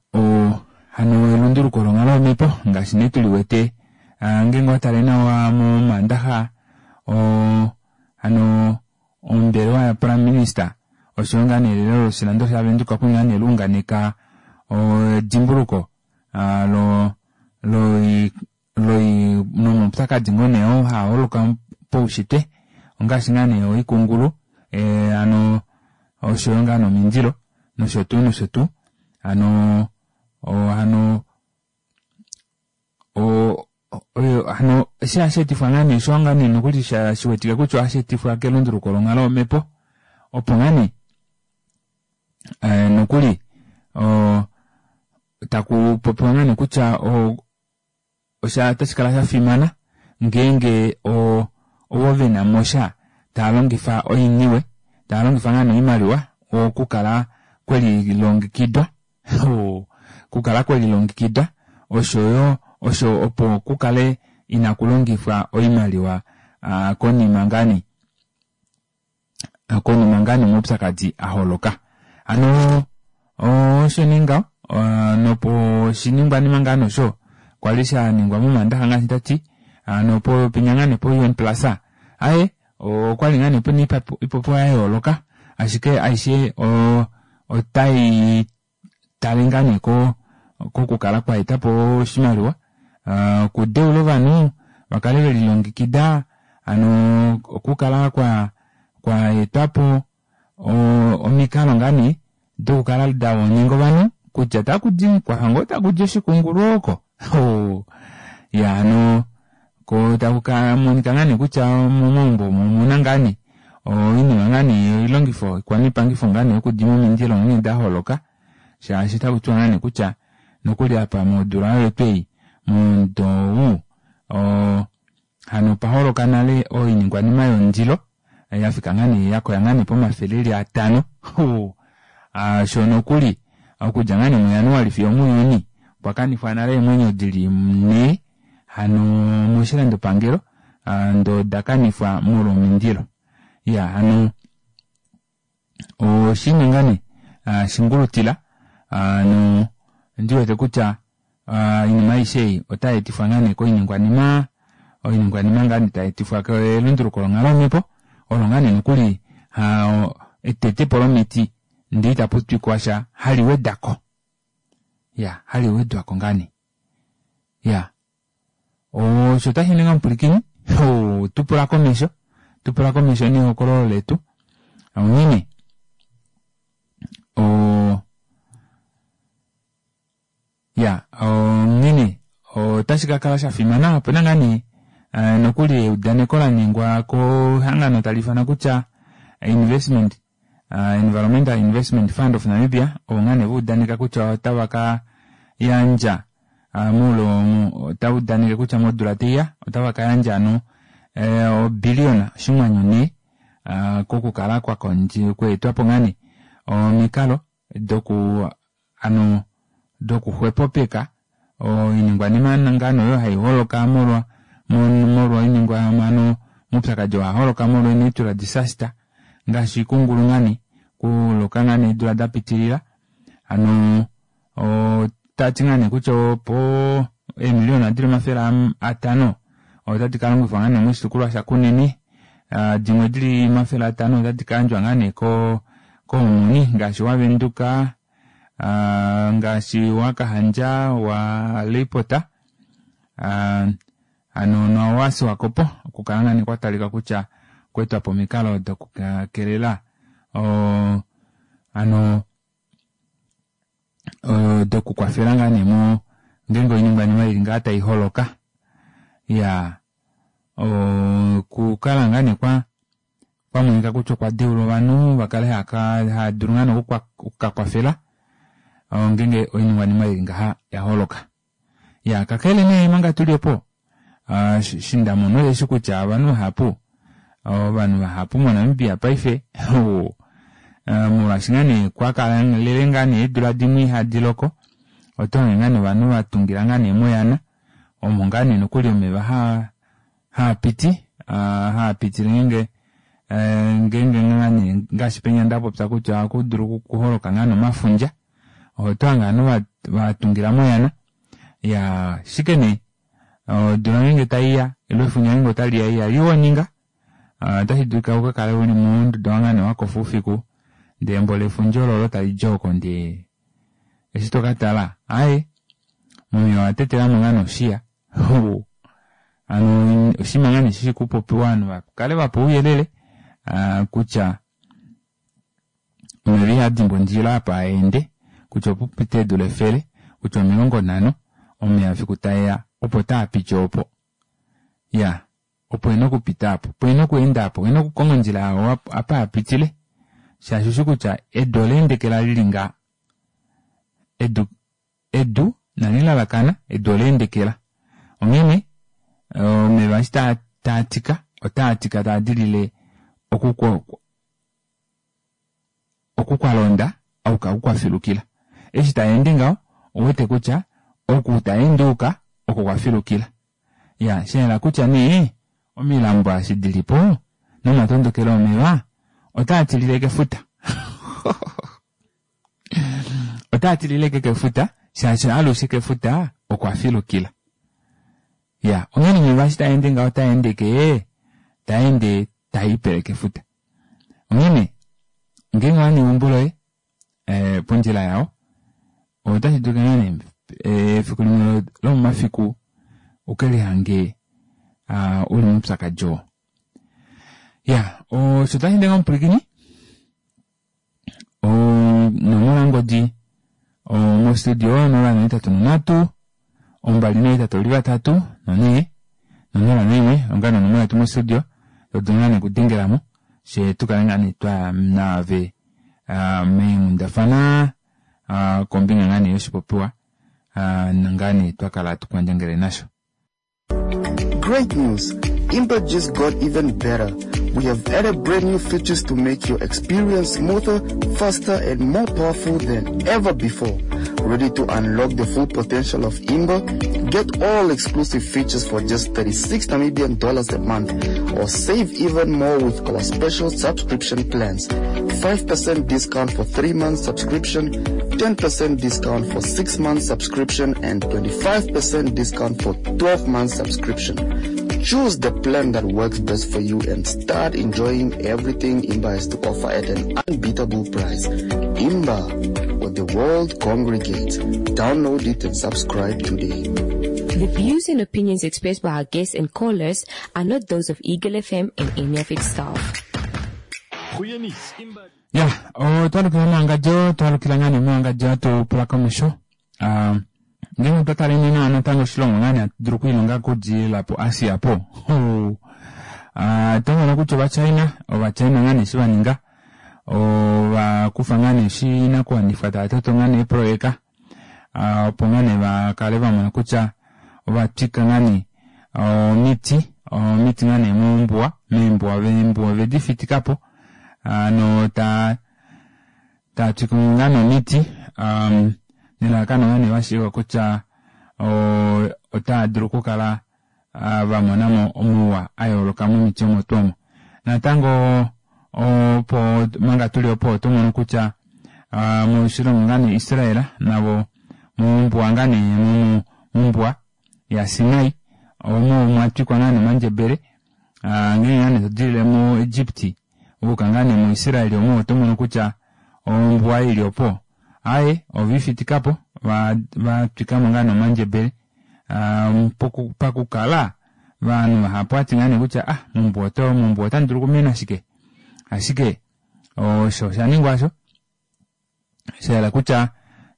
hano elunduluko longhalo yomhepo ngaashi nee tuliwete ngeenge owatale nawa momandaxa hano ombelewa ya prime minister oshoyo ngaa nee elelo loshilando shaVenduka okwali ngaa nee luunganeka edimbuluko lo loi loi nomaupyakadi ngoo nee oo haa holoka poushitwe ongaashi ngaa nee oikungulu hano oshoyo ngaa nomindilo nosho tuu nosho tuu hano hano hano eshi hashi etifwa ngaa nee osho ngaa nee nokuli shiwetike kutya ohashi etifwa kelunduluko longhalo yomhepo opo ngaa nee nokuli taku popiwa ngaa nee kutya osha otashi kala sha fimana ngeenge ovo vena mosha tava longifa oiniwe tava longifa ngaa nee oimaliwa okukala kwelilongekidwa kukala kwelilongekidwa oshoyo osho opo kukale inaku longifwa oimaliwa konima ngaa nee konima ngaa nee omaupyakadi aholoka. Hano osho nee ngaho nopo oshiningwanima ngaa nosho kwali shaningwa momandaxa ngaashi ndati hano penya ngaa nee po UN Plaza aye okwali ngaa nee pena ipopiwa ya yooloka ashike aishe otai tale ngaa nee kokukala kwa etapo oshimaliwa okudeula ovanhu vakale velilongekida hano okukala kwa etwapo omikalo ngaa nee dokukala dawoninga ovanhu kutya takudi kwafa ngoo takudi oshikungulu oko ya hano ko taku monika ngaa nee kutya momaumbo omuna ngaa nee oinima ngaa nee oilongifo ikwaniipangifo ngaa nee yokudima omindilo onghee daholoka shaashi otaku tiwa ngaa nee kutya nokuli apa modula oyo twei momudo ou hano opa holoka nale oiningwanima yomundilo yafika ngaa nee yakoya ngaa nee pomafele eli 5 sho nokuli okudja ngaa nee muJanuali fiyo muJuni okwa kanifwa nale eemwenyo dili 4 hano moshilandopangelo ndo dakanifwa molwa omindilo. Ya hano oshinima ngaa nee shingulutila no ndiwete kutya oinima aishe ei otai etifwa ngaa nee koiningwanima oiningwanima ngaa nee tai etifwa kelunduluko longhalo yomhepo olo ngaa nee nokuli etetepo lomiti ndee itapu twikwa sha hali wedako. Ya hali wedwako ngaa nee. Ya osho tashi ninga omupwilikini tupula komesho tupula komesho nehokololo letu onghene ya onghene otashi kakala shafimana opena ngaa nee nokuli eudaneko laningwa kehangano tali ifanwa kutya investment Environmental Investment Fund of Namibia ovo ngaa nee vaudaneka kutya otava ka yandja moule otava udaneke kutya modula taiya otava ka yandja hano obilliona oshinghwanyu 4 kokukala kweetwapo ngaa nee omikalo doku hano dokuxwepopeka oiningwanima ngaa nee oyo hai holoka molwa molwa oiningwa omaupyakadi oo haholoka molwa natural disaster ngaashi ikungulu ngaa nee kuloka ngaa nee eedula dapitilila hano otati ngaa nee kutya opo eemiliona dili 500 otadi kalongifwa ngaa nee moshitukulwa shaKunene. Dimwe dili 500 otadi ka yandjwa ngaa nee ko koomuni ngaashi waVenduka, ngaashi waKahandja, waLeipota, hano nowaSwakopo okukala ngaa nee kwa talika kutya okweetwa po omikalo dokukelela hano dokukwafela ngaa nee mo ngeenge oiningwanima ili ngaa tai holoka. Iyaa okukala ngaa nee kwa kwamonika kutya okwa deula ovanhu va kale hava dulu ngaa nee okukakwafela ngeenge oiningwanima ili ngaha ya holoka. Ya kakele nee manga tuli opo eshi nda mona osheshi kutya ovanhu vahapu ovanhu vahapu moNamibia paife molwaashi ngaa nee kwa kalele ngaa nee eedula dimwe ihadi loko oto hange ngaa nee ovanhu va tungila ngaa nee moyana omo ngaa nee nokuli omeva haa haapiti haapitile ngeenge ngeenge ngaa nee ngaashi penya nda popya kutya ohaku dulu okuholoka ngaa nee omafundja oto hange ovanhu va tungila moyana ya shike nee odula ngeenge taiya ile efundja ngeenge otaliya ihali woninga otashi dulika uka kale uli monduda ngaa nee wakofa oufiku ndee embo lefundja ololo talidi oko ndee eshi tokatala aaye momeva owatetelamo ngaa nee oshiya hano oshinima ngaa nee shishi kupopiwa ovanhu vakale vapewa ouyelele kutya omeva ihadimbwa ondjila apa aende kutya opupite eedula 100 kutya 50 omeva fiku taeya opo taapiti opo ya opo ena okupita apo opo ena okweenda apo ena okukonga ondjila yao apa apitile shaashi ushi kutya edu oleendekela lili nga edu edu nalilalakana edu oleendekela onghene omeva eshi taatika otaatika taadilile oku kwalonda auka oku kwafilukila eshi taende ngaho ouwete kutya oku taende uka oko kwafilukila ya shayela kutya nee omilambo eshi dilipo nomatondokelo omeva otaa tilile kefuta otaa tilile kefuta shaashi alushe kefuta okwa filukila ya onghene omeva eshi taende ngaho taende ke taende taipele kefuta onghene ngeenge owa neumbo loye pondjila yao otashi dulika ngaa nee efiku limwe lomomafiku ukelihange uli moupyakadi oo ya osho tashi ndenga omupwilikini onomola yongodi mostudio 083 283 4 01 onga nonomola yetu mostudio todulu ngaa nee okudengelamo fye tukale ngaa nee twaya naave meenghundafana kombinga ngaa nee yoshipopiwa ngaa nee twakala tukwandjangele nasho. Great news! Imba just got even better. We have added brand new features to make your experience smoother, faster, and more powerful than ever before. Ready to unlock the full potential of Imba? Get all exclusive features for just 36 Namibian dollars a month, or save even more with our special subscription plans. 5% discount for 3 months subscription, 10% discount for 6 months subscription, and 25% discount for 12 months subscription. Choose the plan that works best for you and start enjoying everything Imba has to offer at an unbeatable price. Imba, where the world congregates. Download it and subscribe today. The views and opinions expressed by our guests and callers are not those of Eagle FM and any of its staff. Goeie nuus. Imba Ya, otwalukila mowangadjo, twalukila ngaa nee mowangadjo hatu pula komesho. Ngeenge otwa taleni nawa natango oshilongo ngaa nee hatu dulu okwiilonga okudilila po Asia po. Oto mono kutya ovaChina, ovaChina ngaa nee eshi va ninga ova kufa ngaa nee oshinakuwanifwa tava toto ngaa nee eeprojeka opo ngaa nee va kale va mona kutya ova twika ngaa nee omiti omiti ngaa nee mombuwa meembuwa eembuwa ovedi fitikapo hano taa twike ngaa nee omiti nelalakano ngaa nee vashiiva kutya otaa dulu okukala va monamo omauwa a yooloka momiti omo tuu omo. Natango opo manga tuli opo oto mono kutya moshilongo ngaa nee Israel navo mombuwa ngaa nee mombuwa yaSinai omo mwa twikwa ngaa nee omandjebele. Ngeenge ngaa nee to dilile muEgipti wa yuka ngaa nee muIsrael omo oto mono kutya ombuwa ili opo aaye ove i fitika po va va twika mo ngaa nee omandjebele poku pakukala ovanhu vahapu ohati ngaa nee kutya ah mombuwa oto mombuwa otamu dulu okumena shike ashike osho osha ningwa osho sha yela kutya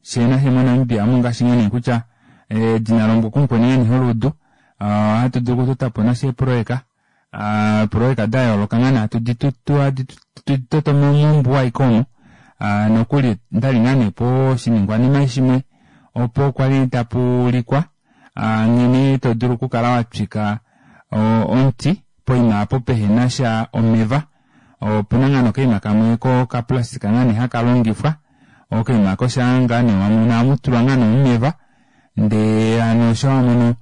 fyee nafye moNamibia omu ngaashi ngaa nee kutya edina lombwa kumukweni ngaa nee holuudu ohatu dulu okutota po nasho eeproyeka eeproyeka da yooloka ngaa nee hatu di tu toto mombuwa aike omo nokuli ndali ngaa nee poshiningwanima shimwe opo kwali tapu ulikwa nghene to dulu okukala wa twika omuti poima opo pehena sha omeva Opuna ngaa nee okaima kamwe kokaplastika ngaa nee haka longifwa, okaima oko shaa ngaa nee wamono ohamu tulwa ngaa nee omeva ndee hano sho wamono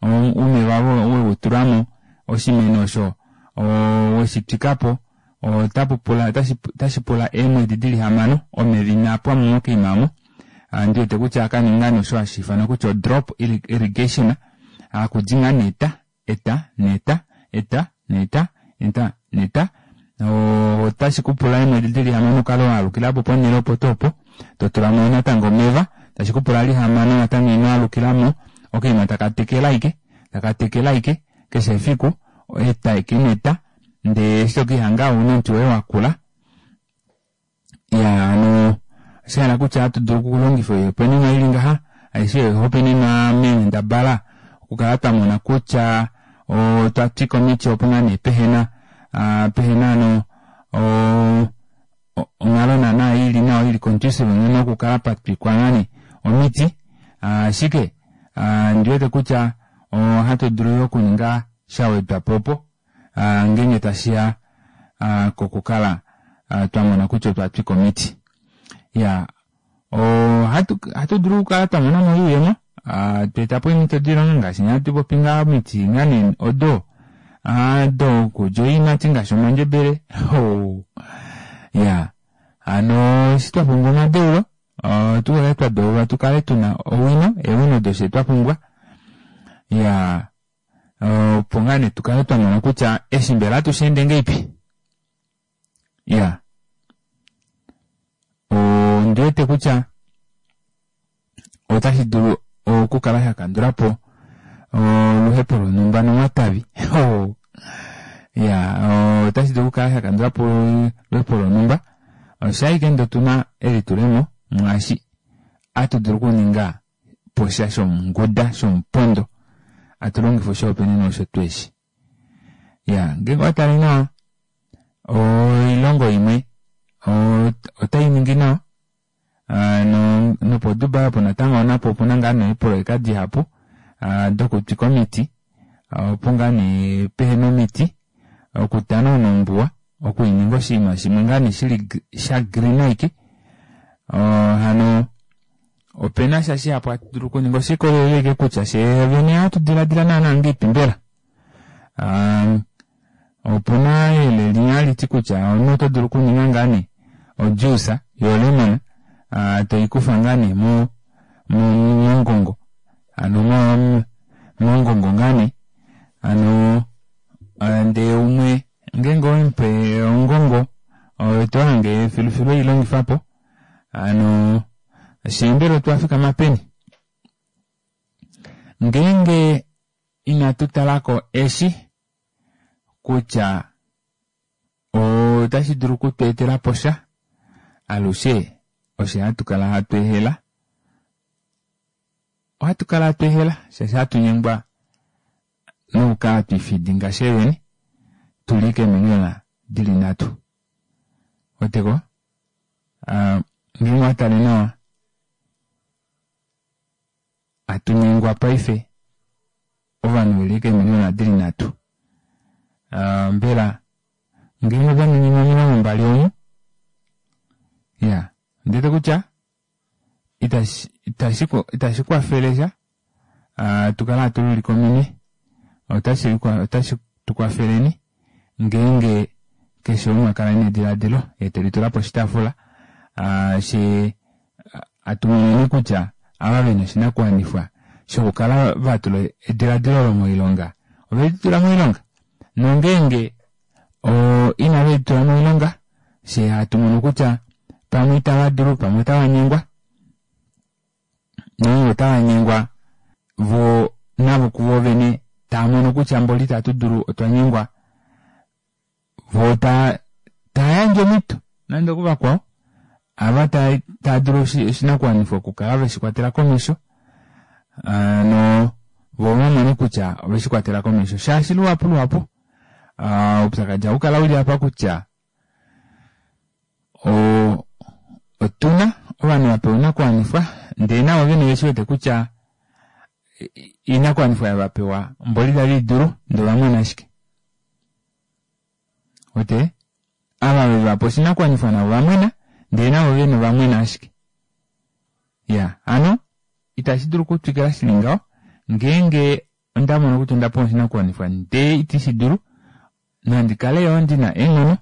omeva wewu tulamo oshimeno osho weshi twikapo otapu pula otashi pula eemwedi dili hamano omeva inaa pwamo mokaima omo. Ndiwete kutya okaninga ngaa nee osho hashi ifanwa kutya o drop irrigation hakudi ngaa nee eta eta neta eta neta eta neta otashi ku pula eemwedi dili hamano ukale wa alukila po ponhele opo tuu opo to tula mo natango omeva tashi ku pula lihamano natango ino alukila mo okaima taka tekele ashike taka tekele ashike keshe efiku eta eke neta ndee eshi tokihanga ouna omuti woye wakula Ya hano osha hala kutya ohatu dulu okulongifa oihopaenenwa i li ngaha, aishe oihopaenenwa meenghendabala okukala twa mona kutya otwa twika omiti opo ngaa nee pehe na pehe na hano onghalo naana i li nawa i li conducive nghene okukala pa twikwa ngaa nee omiti. Ashike ondi wete kutya ohatu dulu yo okuninga sha wedwa po opo ngeenge tashi ya kokukala twa mona kutya otwa twika omiti. Ya ohatu ohatu dulu okukala twa mona mo oiyemo twa eta po eemhito doilonga ngaashi nee hatu popi ngaa omiti ngaa nee odo dokulya oiimati ngaashi omandjebele ya hano eshi twa pumbwa omadeulo tu kale twa deulwa tu kale tuna owino eewino doshe twa pumbwa ya opo ngaa nee tu kale twa mona kutya eshi mbela ohatu shi ende ngeipi ya ondi wete kutya otashi dulu okukala sha kandula po oluhepo lonhumba nomatavi ya otashi dulu okukala sha kandula po oluhepo lonhumba osha ashike ndee otuna elitulemo mwaashi atu dulu okuninga po sha shomunguda shomupondo atu longifa oshihopaenenwa osho tweshi ya ngeenge owa tale nawa oilongo imwe otai ningi nawa nopoDubai opo natango napo opuna ngaa nee eepoloyeka dihapu dokutwika omiti opo ngaa nee pehena omiti okutanauna ombuwa okuininga oshinima shimwe ngaa nee shili sha green aike hano Ope na sha shihapu hatu dulu okuninga. Oshe likolelela ashike kutya fye vene ohatu diladila naanaa ngeipi mbela. Opu na eyele limwe hali ti kutya omunhu oto dulu okuninga ngaa nee ojuice yolemon toi kufa ngaa nee mo mongongo hano mongongo ngaa nee hano ndee umwe ngeenge owemupe ongongo oto hange filufilu ei longifa po. Hano fyee mbela otwa fikama peni? Ngeenge inatu tala ko eshi kutya otashi dulu oku tu etela po sha, alushe osho hatu kala hatu ehela. Ohatu kala hatu ehela shaashi hatu nyengwa nokukala hatu ifidinga fyee vene tu li keemiliona di li nhatu. Weteko? Ngeenge owa tale nawa, hatu nyengwa paife ovanhu ve li keemiliona di li nhatu. Mbela ngeenge ova ningi 20 omu, ya, ondi wete kutya itashi, itashi, itashi kwafele sha tu kale hatu lulike ominwe. Otashi, otashi tu kwafeleni ngeenge keshe umwe a kala nediladilo ye te litula poshitaafula she hatu moneni kutya ava ve na oshinakuwanifwa shokukala va tula ediladilo olo moilonga ove li tula moilonga. Nongeenge o inave di tula moilonga, fye hatu mono kutya pamwe itava dulu, pamwe otava nyengwa, nongeenge otava nyengwa vo navo kuvo vene tava mono kutya mboli itatu dulu otwa nyengwa, vo ta tava yandje omhito nande okuvakwao ava tava dulu oshinakuwanifwa okukala veshi kwatela komesho no vo vamone kutya oveshi kwatela komesho shaashi luhapu luhapu oupyakadi ohau kala uli apa kutya otuna ovanhu vapewa oinakuwanifwa ndee navo vene veshi wete kutya oinakuwanifwa yavapewa mboli itave idulu ndee ovamona ashike. Wete? Ava ve va pa oshinakuwanifwa navo va mwena, ndele navo vene ova mwena ashike. Ya, hano itashi dulu okutwikila shi li ngaho, ngeenge onda mono kutya onda pewa oshinakuwanifwa ndee iti shi dulu, nandi kale yo ndi na eenghono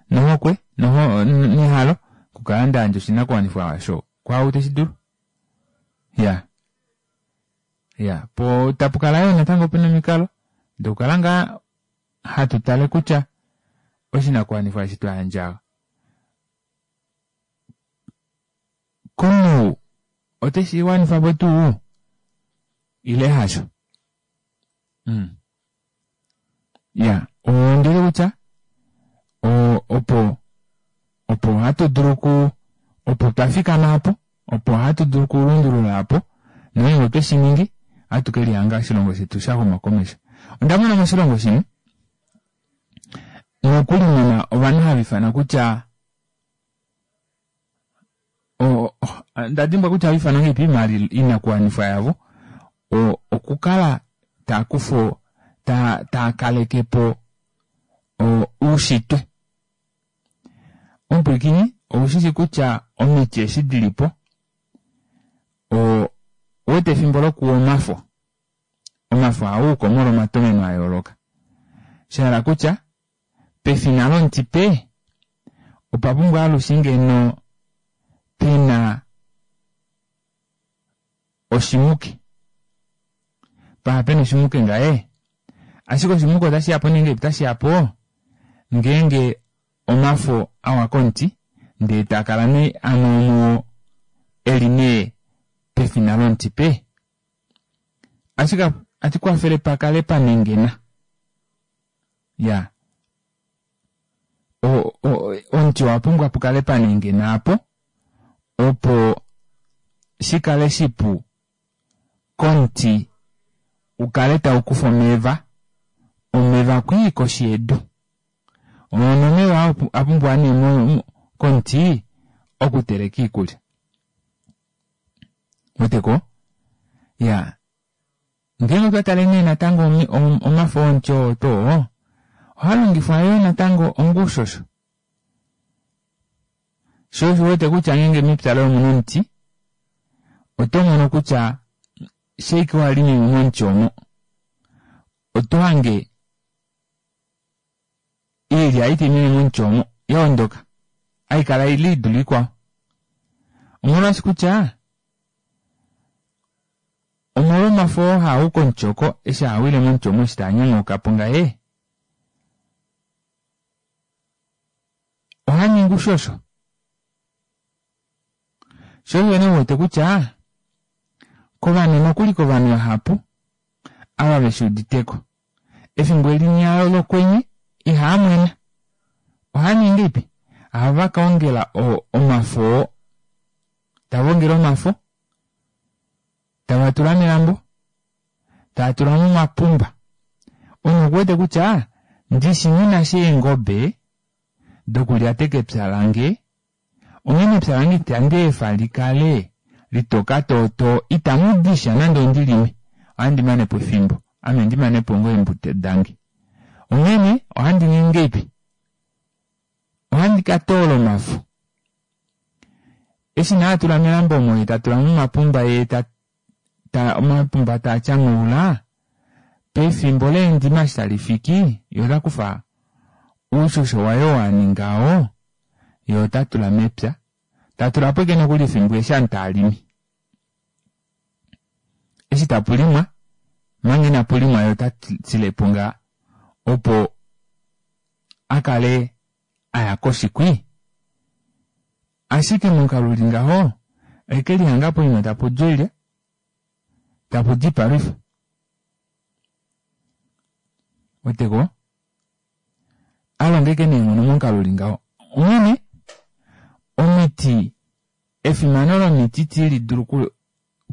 nohokwe noho, nehalo okukala nda yandja oshinakuwanifwa osho kwaau te shi dulu. Ya. Ya, po tapu kala yo natango pe na omikalo dokukala ngaa hatu tale kutya oshinakuwanifwa eshi twa yandja komunhu ote shi wanifa po tuu ile hasho. Mm. Ya, ondi wete kutya opo opo hatu dulu ku opo twa fikama apo opo hatu dulu okulundulula apo nongeenge otwe shi ningi ohatu ke lihanga oshilongo shetu sha xuma komesho. Onda mona moshilongo shimwe nokuli muna ovanhu hava ifana kutya nda dimbwa kutya ohava ifana ngahelipi maali oinakuwanifwa yavo okukala taa kufa taa kaleke po oushitwe. Omupwilikini, ou shi shi kutya omiti eshi di li po, o wete efimbo lokuwa omafo. Omafo ohaa uko molwa omatomeno a yooloka. Sha hala kutya, pefina lomuti pe, opa pumbwa alushe ngeno pe na oshimuke. Paha pena oshimuke ngaye. Ashike oshimuke otashi ya po nenge otashi ya po ngeenge omafo awa komuti ndee taa kala nee amwe omuo eli nee pefina lomuti pe. Ashike ati kwafele pa kale pa nengena. Ya. O, o, omuti owa pumbwa pu kale pa nengena apo opo shi kale shipu komuti u kale tau kufa omeva, omeva kwii koshi yedu. Omeva a pumbiwa nee komuti okuteleka iikulya. Weteko? Ya. Ngeenge otwa tale nee natango omafo omuti oo twoo, ohaa longifwa yoo natango onga oushosho. Sho osho wete kutya ngeenge mepya loye omuna omuti, oto mono kutya sheike wa limi momuti omo, oto hange iilya iti mene momuti omo ya ondoka, hai kala ili idule ikwao. Omolwaashi kutya omolwomafo oo haa u komuti oko eshi haa wile momuti omo eshi taa nyanyauka po ngaye, oha ningi ushosho. Sho osho nee u wete kutya kovanhu nokuli kovanhu vahapu ava veshi uditeko efimbo elinya lokwenye ihaa mwena. Ohaa ningi ngeipi? Ohava ka ongela omafo oo. Tava ongele omafo, tava tula melambo, tava tula momapumba. Omunhu oku wete kutya ndishi nghi na sha eengobe dokulyateka epya lange, onghene epya lange itandi efa li kale litoka tootoo, itamu di sha nande ondi lime, ohandi mane po efimbo, ame ndi mane po ngoo eembuto dange. Onghene ohandi ningi ngeipi? Ohandi ka toola omafo. Eshi nee a tula melambo omo ye ta tula momapumba ye ta ta omapumba taa tyanghaula, pefimbo leendima eshi tali fiki, ye ota kufa oushosho waye oo a ninga oo, ye ota tula mepya, ta tula po ashike nokuli efimbo eshi ovanhu tava limi. Eshi tapu limwa, manga inapu limwa ye ota tile po ngaa opo. a kale a ya koshikwi. Ashike momukalo uli ngaho, ohe lihanga poima tapu di oilya, tapu di oipalwifa. Weteko? A longeke neenghono momukalo uli ngaho. Onghene, omiti, efimano lomiti ti li dulu ku,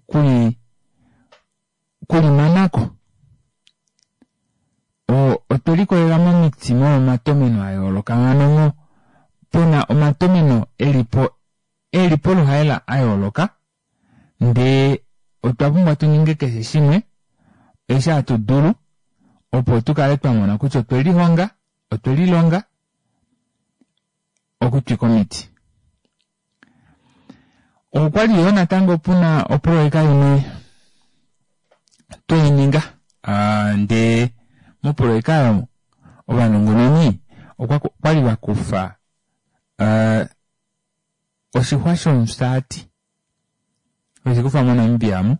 kuli, kulimanako. Otwe likolelela momiti molwomatomeno a yooloka hano mo pena omatomeno elipo eli poluhaela a yooloka ndee otwa pumbwa tu ninge keshe shimwe eshi hatu dulu opo tu kale twa mona kutya otwe lihonga otwe lilonga okutwika omiti. Okwali yoo natango puna oproyeka imwe tweininga ndee moproyeka oyo ovanongononi okwali vakufa oshixwa shomufyaati veshikufa moNamibia amu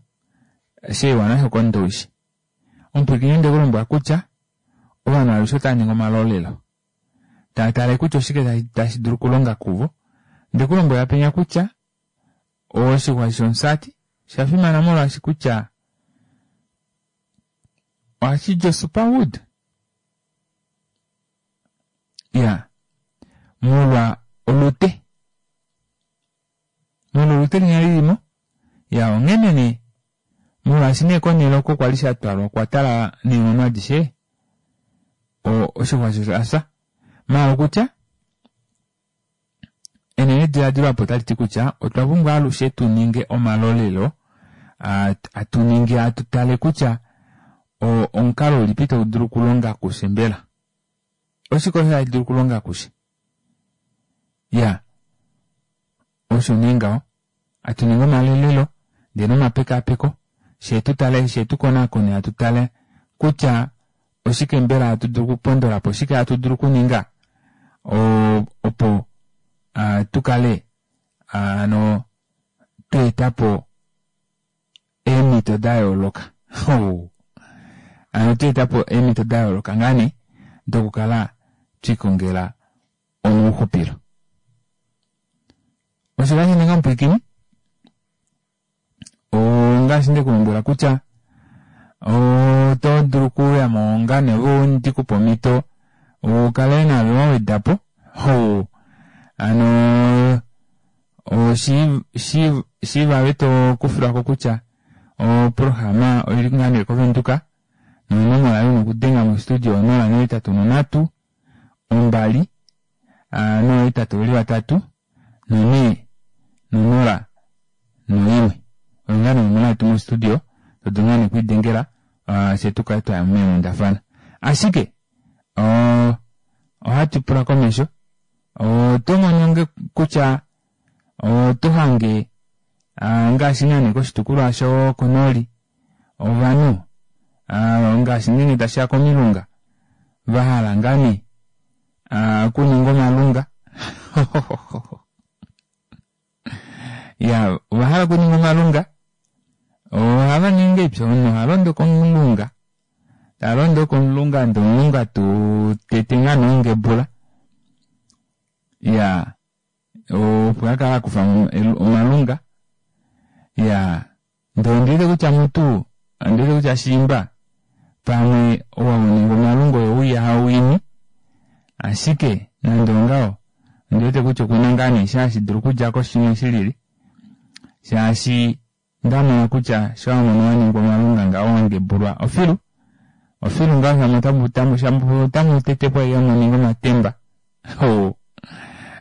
sheiwa nasho kOndowishi. Omupwilikini onde kulombwela kutya ovanhu alushe otava ningi omalolelo tava tale kutya oshike tashi dulu okulonga kuvo. Onde kulombwela penya kutya oshixwa shomufyaati osha fimana molwaashi kutya ohashi di osuperwood. Ya, molwa olute. Molwa olute linya lilimo. Ya, onghene nee, molwaashi nee konhele oko kwali sha twalwa okwa tala neenghono adishe, oshixwa osho osha fya. Maala okutya, enenediladilo apo otali ti kutya otwa pumbwa alushe tu ninge omalolelo, atu ningi atu tale kutya omukalo ulipi tau dulu okulonga kufye mbela. Oshike osho tashi dulu okulonga kufye? Ya, osho nee ngaho. Atu ningi omalolelo ndee nomapekapeko, shee tu tale, shee tu konakone, hatu tale kutya oshike mbela hatu dulu okupondola po, oshike hatu dulu okuninga opo tu kale hano twa eta po eemhito da yooloka. Hano twa eta po eemhito da yooloka ngaa nee dokukala twikongela omauxupilo. Osho tashi ninga omupwilikini ongaashi nde ku lombwela kutya oto dulu okuuya mo ngaa nee ove ndi kupe omhito ukale naave wa weda po. Hano shiiva ave to kufilwako kutya oprograma oili ngaa nee koVenduka nonomola yoye una okudenga mostudio 083 2 083 4 0 1. Oyo ngaa nee onomola yetu mostudio to dulu ngaa nee okwiidengela fye tu kale twaya meenghundafana. Ashike ohatu pula komesho oto mono nge kutya oto hange ngaashi ngaa koshitukulwa shokonooli ovanhu ngaashi ngeenge tashiya komilunga vahala ngaa nee okuninga omalunga ya ovahala okuninga omalunga ohava ningi epya omunhu oha londo komulunga ta londo komulunga ndee omulunga tu tete ngaa nongebula ya opo akala akufa omalunga ya ndee ondiwete kutya mutu ondiwete kutya shiimba pamwe owa uninga omalunga oyo uya hawini ashike nande ongaho ondiwete kutya okuna ngaa nee sha hashi dulu okudja shimwe shilili shaashi ndamona kutya sho wamono waningwa omalunga ngaho wangebulwa ofilu ofilu ngaho shamu otamu tetepo aike muninge omatemba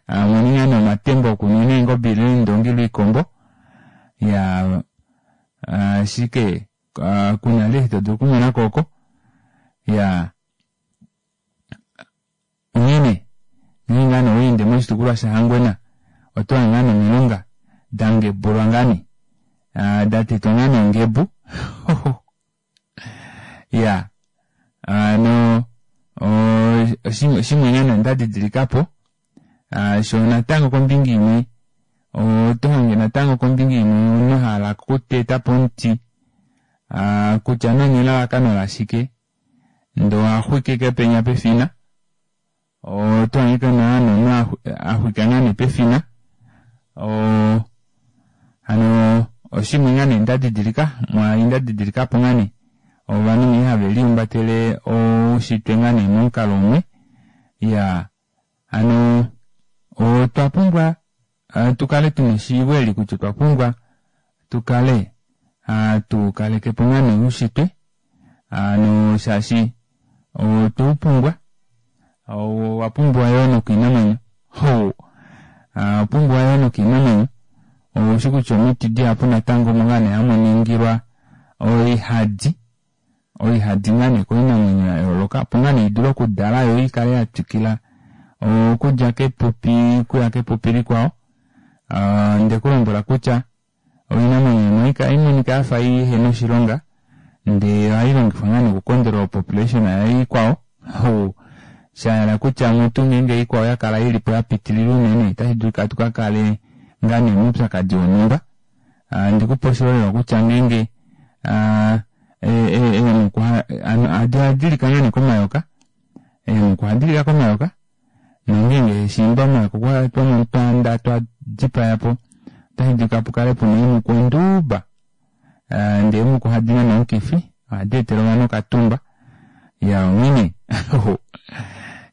muninga nee omatemba okunwina eengobe ile eendongi ile oikombo ya ashike kuna vali eshi todulu okumonako oko ya onghene nghee ngaa nee oweende moshitukulwa shaHangwena oto hange ngaa nomilunga dangebulwa ngaa nee datetwa ngaa nongebu ya ano oshimwe ngaa nee ndadidilikapo sho natango kombinga imwe oto hange natango kombinga imwe omunhu ahala okuteta po omuti kutya nani elalakano lashike ndee ohaxwike penya pefina. Oto hangika naa nomunhu a xwika ngaa nee pefina. Oo hano oshimwe ngaa nee nda didilika mwaai nda didilika po ngaa nee ovanhu nghee have lihumbatele oushitwe ngaa nee momukalo umwe. Iyaa hano otwa pumbwa tu kale tuna eshiivo eli kutya otwa pumbwa tu kale hatu kaleke po ngaa nee oushitwe hano shaashi otwe u pumbwa owa pumbiwa yoo nokoinamwenyo owa pumbiwa yoo nokoinamwenyo oushi kutya omiti dihapu natango omo ngaa nee hamu ningilwa oihadi oihadi ngaa nee koinamwenyo ya yooloka opo ngaa nee idule okudala yo ikale ya twikila okudja kepupi okuya kepupi likwao nde kulombwela kutya Oinamwenyo imwe ohayi monika ya fa i he na oshilonga ndee ohayi longifwa ngaa nee okukondola opopulation yaikwao. Sha hala kutya mutu ngeenge ikwao ya kala i li po ya pitilila unene otashi dulika tu ka kale ngaa nee moupyakadi wonhumba. Ndi ku pe oshiholelwa kutya ngeenge eemhuku ohadi lika ngaa nee komayoka, eemhuku ohadi lika komayoka. Nongeenge shiimba omayoka okwa twa motwanda twa dipaya po, otashi dulika pu kale pu na eemhuku onduba. Ndee eemhuku ohadi nane omukifi, ohadi etele ovanhu okatumba. Ya onghene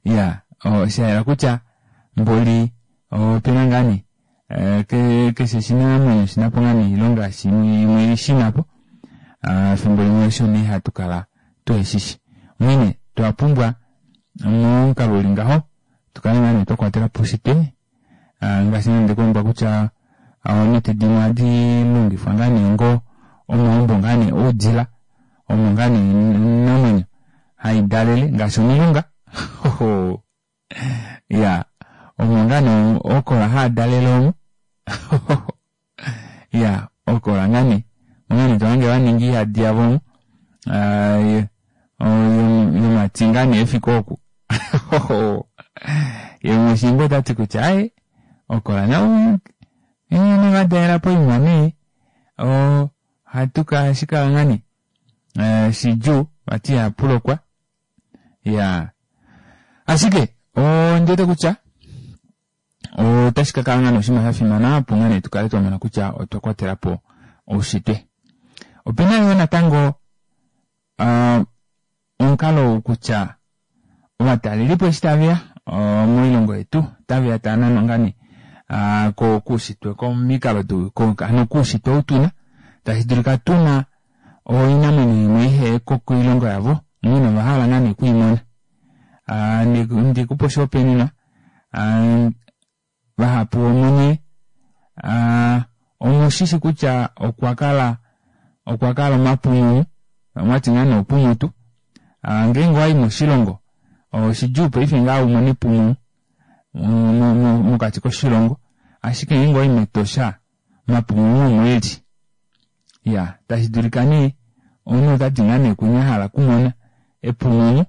ya osha yela kutya mboli ope na ngaa nee keshe oshinamwenyo oshina po ngaa nee oilonga imwe shina po. Efimbo limwe osho nee hatu kala tuheshishi. Onghene twa pumbwa momukalo uli ngaho tu kale ngaa nee twa kwatela po oushitwe ngaashi nee ndekulombwela kutya omiti dimwe ohadi longifwa ngaa nee ongo omaumbo ngaa nee oudila omo ngaa nee oinamwenyo hai dalele ngaashi omilunga ya omo ngaa nee ookola haa dalele omo ya okola ngaa nee onga nee tohange vaninga oihadi yavo omo yomati ngaa nee efike oku ye mushiimba otati kutya aye okola nao nevadalela poima nee ohatu ka shikala ngaa nee shidjuu vati ihapulokwa ya ashike ondiwete kutya Otashi ka kala ngaa oshinima sha fimana opo ngaa nee tu kale twa mona kutya otwa kwatela po oushitwe. Ope na yoo natango omukalo ou kutya ovatalelipo eshi tave ya moilongo yetu otave ya tava nanwa ngaa nee koushitwe komikalo hano koushitwe ou tuna tashi dulika tuna oinamwenyo imwe ihe ko koilongo yavo onghee ova hala ngaa nee okwiimona. Ndikupe oshihopaenenwa Vahapu vomunye omu shi shi kutya okwa kala okwa kala omapumunu, mwati ngaa nee opumutu. Ngeenge owa yi moshilongo oshidjuu paife ngaa u mone epumunu mokati koshilongo, ashike ngeenge owa yi mEtosha omapumunu omo e li. Ya tashi dulika nee omunhu ota ti ngaa nee kunye a hala okumona epumunu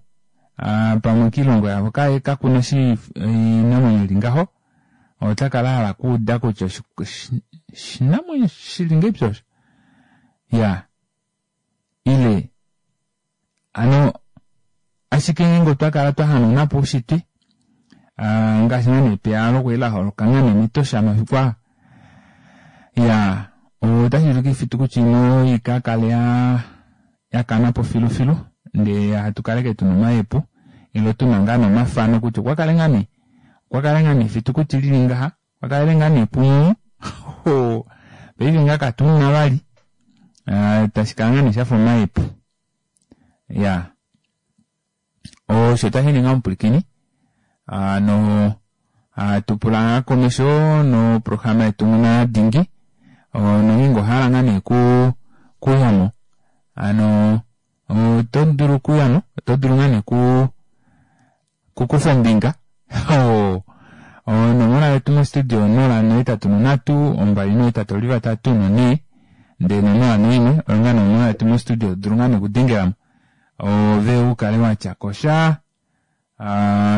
pamwe kiilongo yavo kakuna oinamwenyo ili ngaho ota kala a hala okuuda kutya oshinamwenyo shili ngahelipi osho ya ile Hano ashike ngeenge otwa kala twa hanauna po oushitwe, ngaashi ngaa nee epiyaalo kwali la holoka ngaa nee mEtosha mafiku aa, ya otashi dulika oifitukuti imwe i ka kale ya kana po filufilu ndee hatu kala ashike tuna omahepu ile tuna ngaa nee omafano kutya okwa kale ngaa nee okwa kale ngaa nee efitukuti lili ngaha okwa kalele ngaa nee pumwe paife ngaa katuna vali tashi kala ngaa nee shafa omahepu. Ya osho tashi ninga omupwilikini no hatu pula ngaa komesho noprograma yetu nguna dingi nongeenge ohala ngaa nee ku kuyamo ano oto dulu okuyamo oto dulu ngaa nee ku kukufa ombinga onomola yetu mostudio 0 8 3 2 8 3 4 ndee nonola noimwe oyo ngaa nomola yetu mostudio dulu ngaa nokudengelamo ove u kale watya kosha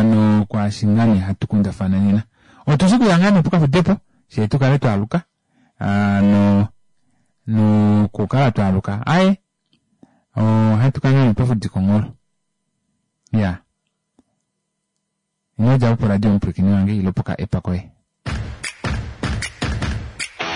nokwaashi ngaa nee hatu kundafana nena otu shi kuya ngaa nee pokafudepo shee tu kale twaaluka no nokukala twaaluka aye ohatu kala ngaa nee twafudika ongholo ya. Ino dja po poradio omupwilikini wange ilo poka app koye.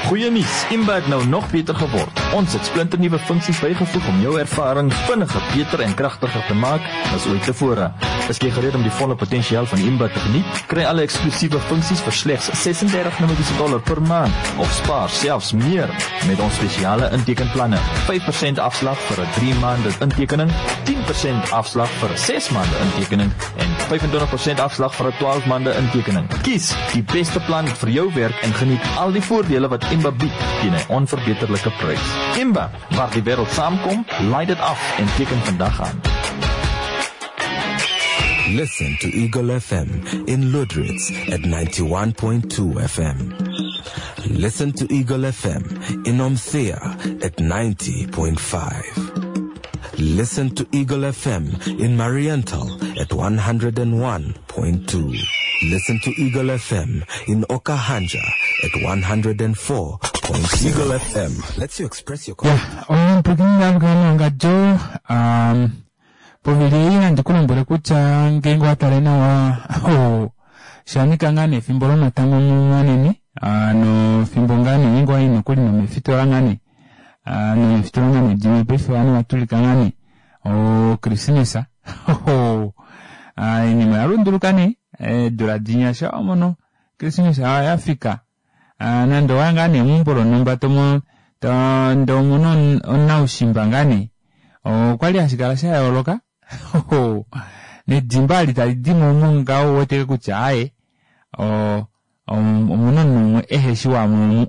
Goeie nuus, Imba het nou nog beter geword. Ons het splinternuwe funksies bygevoeg om jou ervaring vinniger, beter en kragtiger te maak as ooit tevore. Is jy gereed om die volle potensiaal van Imba te geniet? Kry alle eksklusiewe funksies vir slegs 36 Namibiese dollar per maand of spaar selfs meer met ons spesiale intekenplanne. 5% afslag vir 'n 3 maande intekening, 10% afslag vir 'n 6 maande intekening en 25% afslag vir 'n 12 maande intekening. Kies die beste plan vir jou werk en geniet al die voordele wat Imba bied teen 'n onverbeterlike prys. Imba, waar die wêreld saamkom, laai dit af en teken vandag aan. Listen to Eagle FM in Lüderitz at 91.2 FM. Listen to Eagle FM in Omthea at 90.5. Listen to Eagle FM in Mariental at 101.2. Listen to Eagle FM in Okahandja at 104.7. Eagle FM lets you express your Ya, omupwilikini wange um, povili ei nandi ku lombwele kutya ngeenge owa tale nawa oh, shanika ngaa nee efimbo lomatango manene ah, nofimbo ngaa nee ngeenge owayi nokuli nomefitola ngaa nee ah, nomefitola ngaa nee dimwe paife ovanhu vatulika ngaa nee okrismesa ah, oinima oya lunduluka nee eedula dinya sha wamono krismesa oya fika ah, nande owaya ngaa nee meumbo lonhumba tomo ndee omuna omunaushimba ngaa nee okwali hashi kala sha yooloka nedimba ali tali dimo omo ngaho uweteke kutya aaye omuna omunhu umwe eheshi wamwe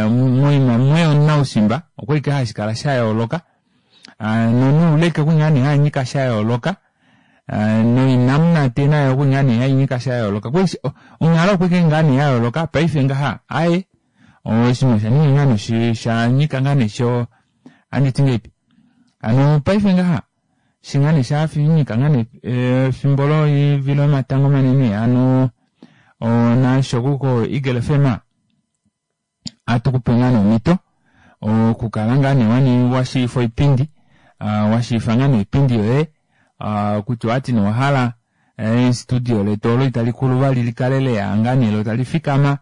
omu moima mwe omunaushimba okwali ke hashi kala sha yooloka nonuuleke okwali ngaa nee hanyika sha yooloka noinamunate nayo okwali ngaa nee hainyika sha yooloka onghalo okwali ngaa nee ya yooloka paife ngaha aaye oshinima osha ninga ngaa nee shanyika ngaa nee sho anditi ngahelipi hano paife ngaha eshi ngaa nee shanyika ngaa nee efimbo loivilo yomatango manene hano naasho ko Eagle FM ohatu kupe ngaa nee omhito okukala ngaa nee washiifa oipindi washiifa ngaa nee oipindi yoye kutya owati nee owahala studio letu olo itali kulu vali likale leya ngaa nee lo tali fikama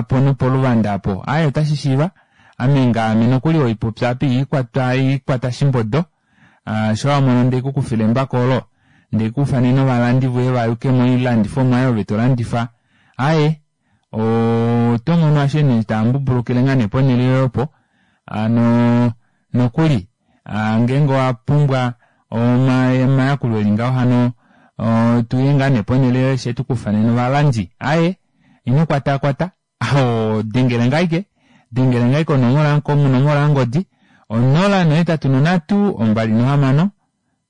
pono poluvanda apo aaye otashi shiiva ame ngaame nokuli oipopya apa iikwatwa iikwata shimbodo sho wamono ndee kukufila embako olo ndee kuufanene ovalandi voye vayuke moilandifomwa oyo ove tolandifa aaye oto mono ashike nee taambubulukile ngaa nee ponhele yoye opo hano nokuli ngeenge owa pumbwa omayakulo eli ngaho hano tuye ngaa nee ponhele yoye shee tukufanene ovalandi aaye ino kwatakwata dengele ngaa ashike dengele ngaa ashike konomola yongodi 083 26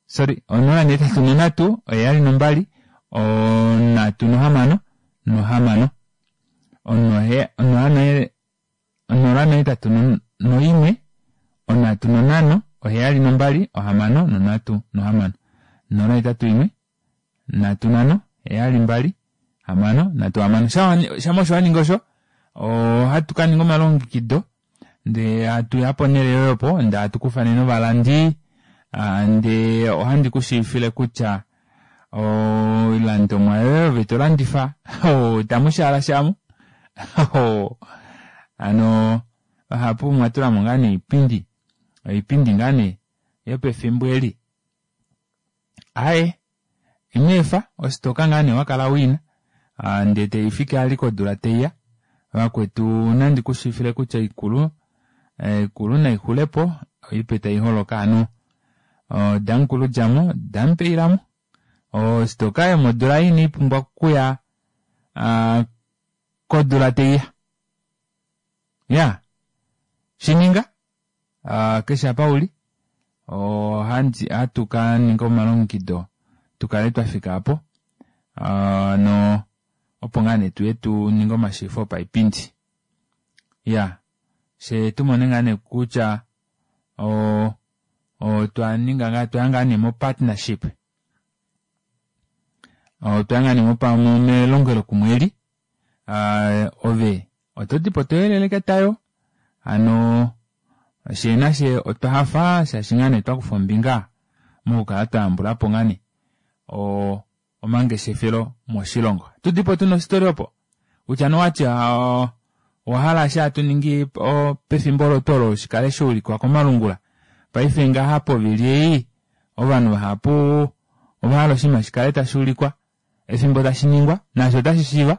sorry 083 72 36 06 081 35 72 66 081 35 72 66 shama osho waningi osho ohatu kaninga omalongekido ndee hatuya ponhele yoye opo ndee hatu kufanene ovalandi ndee ohandi kushiivifile kutya oilandomwa yoye ove tolandifa itamu shaala shamu hano vahapu omwatulamo ngaa nee oipindi oipindi ngaa nee yopefimbo eli aaye ino efa ositoka ngaa nee wakala wiina ndee taifiki vali kodula taiya vakwetu nandi kushiivifile kutya ikulu ikulu naixulepo oipe taiholoka hano damukulu djamo damupeilamo ositoka yomodula ei inaipumbwa okuya kodula taiya iya shininga keshe apa uli ohatu kaninga omalongekido tukale twafika aapo no opo ngaa nee tuye tuninge omashiifo opaipindi iya fyee tumone ngaa nee kutya otwa ninga ngaa twaya ngaa nee mo partnership otwaya ngaa nee melongelokumwe eli ove otodipo toyelele ketayo hano fyee nafye otwa hafa shaashi ngaa nee twakufa ombinga mokukala twayambulapo ngaa nee. omangeshefelo moshilongo. Tudipo tuna ositori opo kutya nowati owahala eshi hatu ningi pefimbo olo tuu olo shikale shaulikwa komalungula. Paife ngaha povili ei ovanhu vahapu ovahala oshinima shikale tashuulikwa efimbo tashiningwa naashi otashi shiiva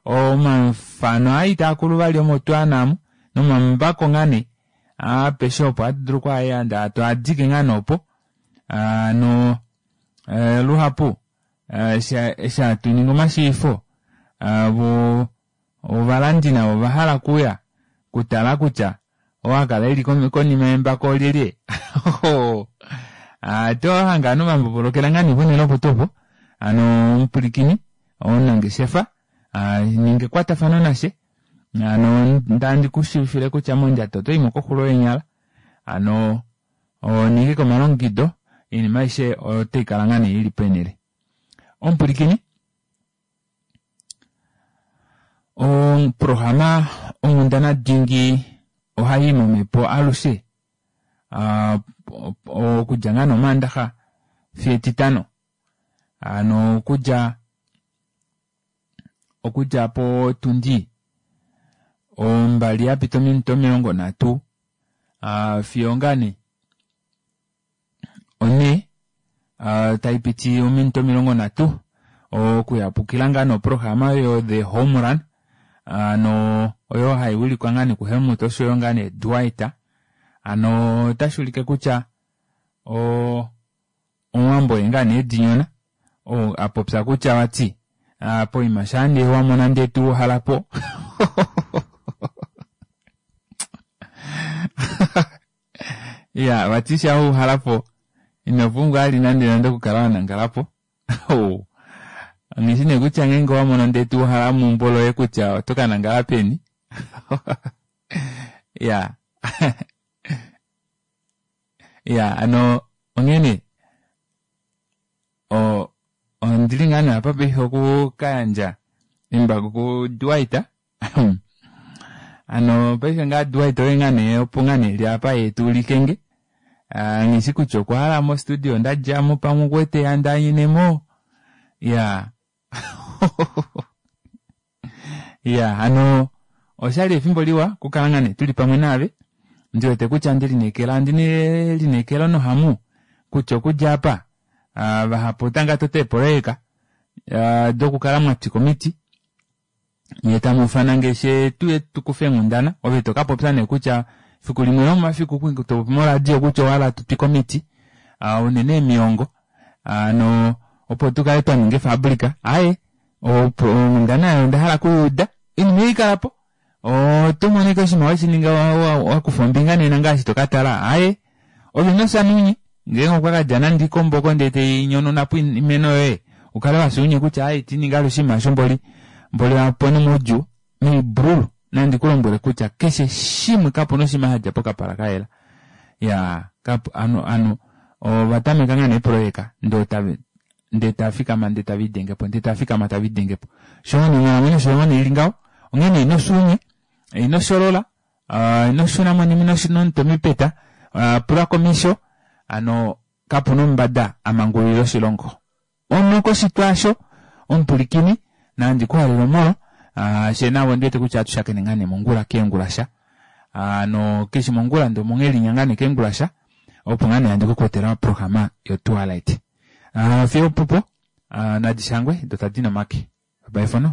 omafano aa itaakulu vali omo twaana amu nomambako ngaa nee apeshe opo hatu dulu okwaayanda twaadike ngaa nee opo hano luhapu eshi hatu ningi omashiivifo vo ovalandi navo ovahala okuuya okutala kutya oo akala eli konima yembako olyelye oto hange ovanhu vambobolokela ngaa nee ponhele opo tuu opo hano omupwilikini omunangeshefa ninga ekwatafano nashe hano ndandi kushiivifile kutya mondjato otoimo koxulo yeenyala hano ninga omalongekido oinima aishe otaikala ngaa nee ili peenele. Omupwilikini oprograma onghundana dingi ohayi momhepo alushe okudja ngaa nomaandaxa fiyo etitano hano okudja okudja potundi ombali yapita ominute 30 fiyo ngaa nee onhee taipiti ominute 30 okuyapukila ngaa noprograma yo the home run hano oyo haiwilikwa ngaa nee kuHelmut oshoyo ngaa nee Dwight hano otashuulike kutya omuwambo oye ngaa nee edinyona ou apopya kutya vati poima shaa nee wamona ndee tuuhalapo iya vati shaa wauhalapo ino pumbwa vali nande nande okukala wanangalapo nghishi nee kutya ngeenge owamono ndee tuuhala meumbo loye kutya oto kanangala peni iya iya hano onghene ondili ngaa nee apa paife okukayandja embako ku Dwight hano paife ngaa Dwight oye ngaa nee opo ngaa nee eli apa yee tuulikenge nghishi kutya okwahala mo studio ndadjamo pamwe okuwete handaanyinemo iya iya hano oshali efimbo liwa okukala ngaa nee tuli pamwe naave ndiwete kutya ndelineekela ondina elineekelo nohamu kutya okudja apa vahapu otanga tota eepoloyeka dokukala mwatwika omiti nyee tamuufana nge she tuye tukufe eenghundana ove tokapopya nee kutya fiku limwe lomomafiku topopi moradio kutya owahala tutwike omiti unene emiongo hano opo tukale twaninga efabrika aaye onghundana oyo ondahala okuyuuda oinima ei ikalapo oto mono ashike oshinima weshininga wakufa ombinga nena ngaashi tokatala aaye ove ino unye ngeenge okwa kadja nande oikomboko ndee tainyonaunapo oimeno yoye ukale wafya unye kutya aaye itininga vali oshinima osho mboli mboli apone moudjuu meibrulu nandi kulombwele kutya keshe shimwe kapuna oshinima shadja pokapala kayela ya anu anu ovatameka ngaa neeprojeka ndee tave ndee tafikama ndee taviidengepo ndee tafikama taviidengepo sho onghalamwenyo osho nee ili ngaho onghene ino fya unye ino sholola ino shuna monima ino nomutwe mepeta pula komesho hano kapuna omumbada amangululila oshilongo ono koshitwa asho omupwilikini nandi kuhalele omolo shee navo ondiwete kutya ohatu ngaa nee mongula keengulasha hano keshi mongula ndee omonghelinya ngaa nee keengulasha opo ngaa nee handi kukwetela oprograma yo twilight fiyo opupo nadishangwe dotadi nomake bye for now.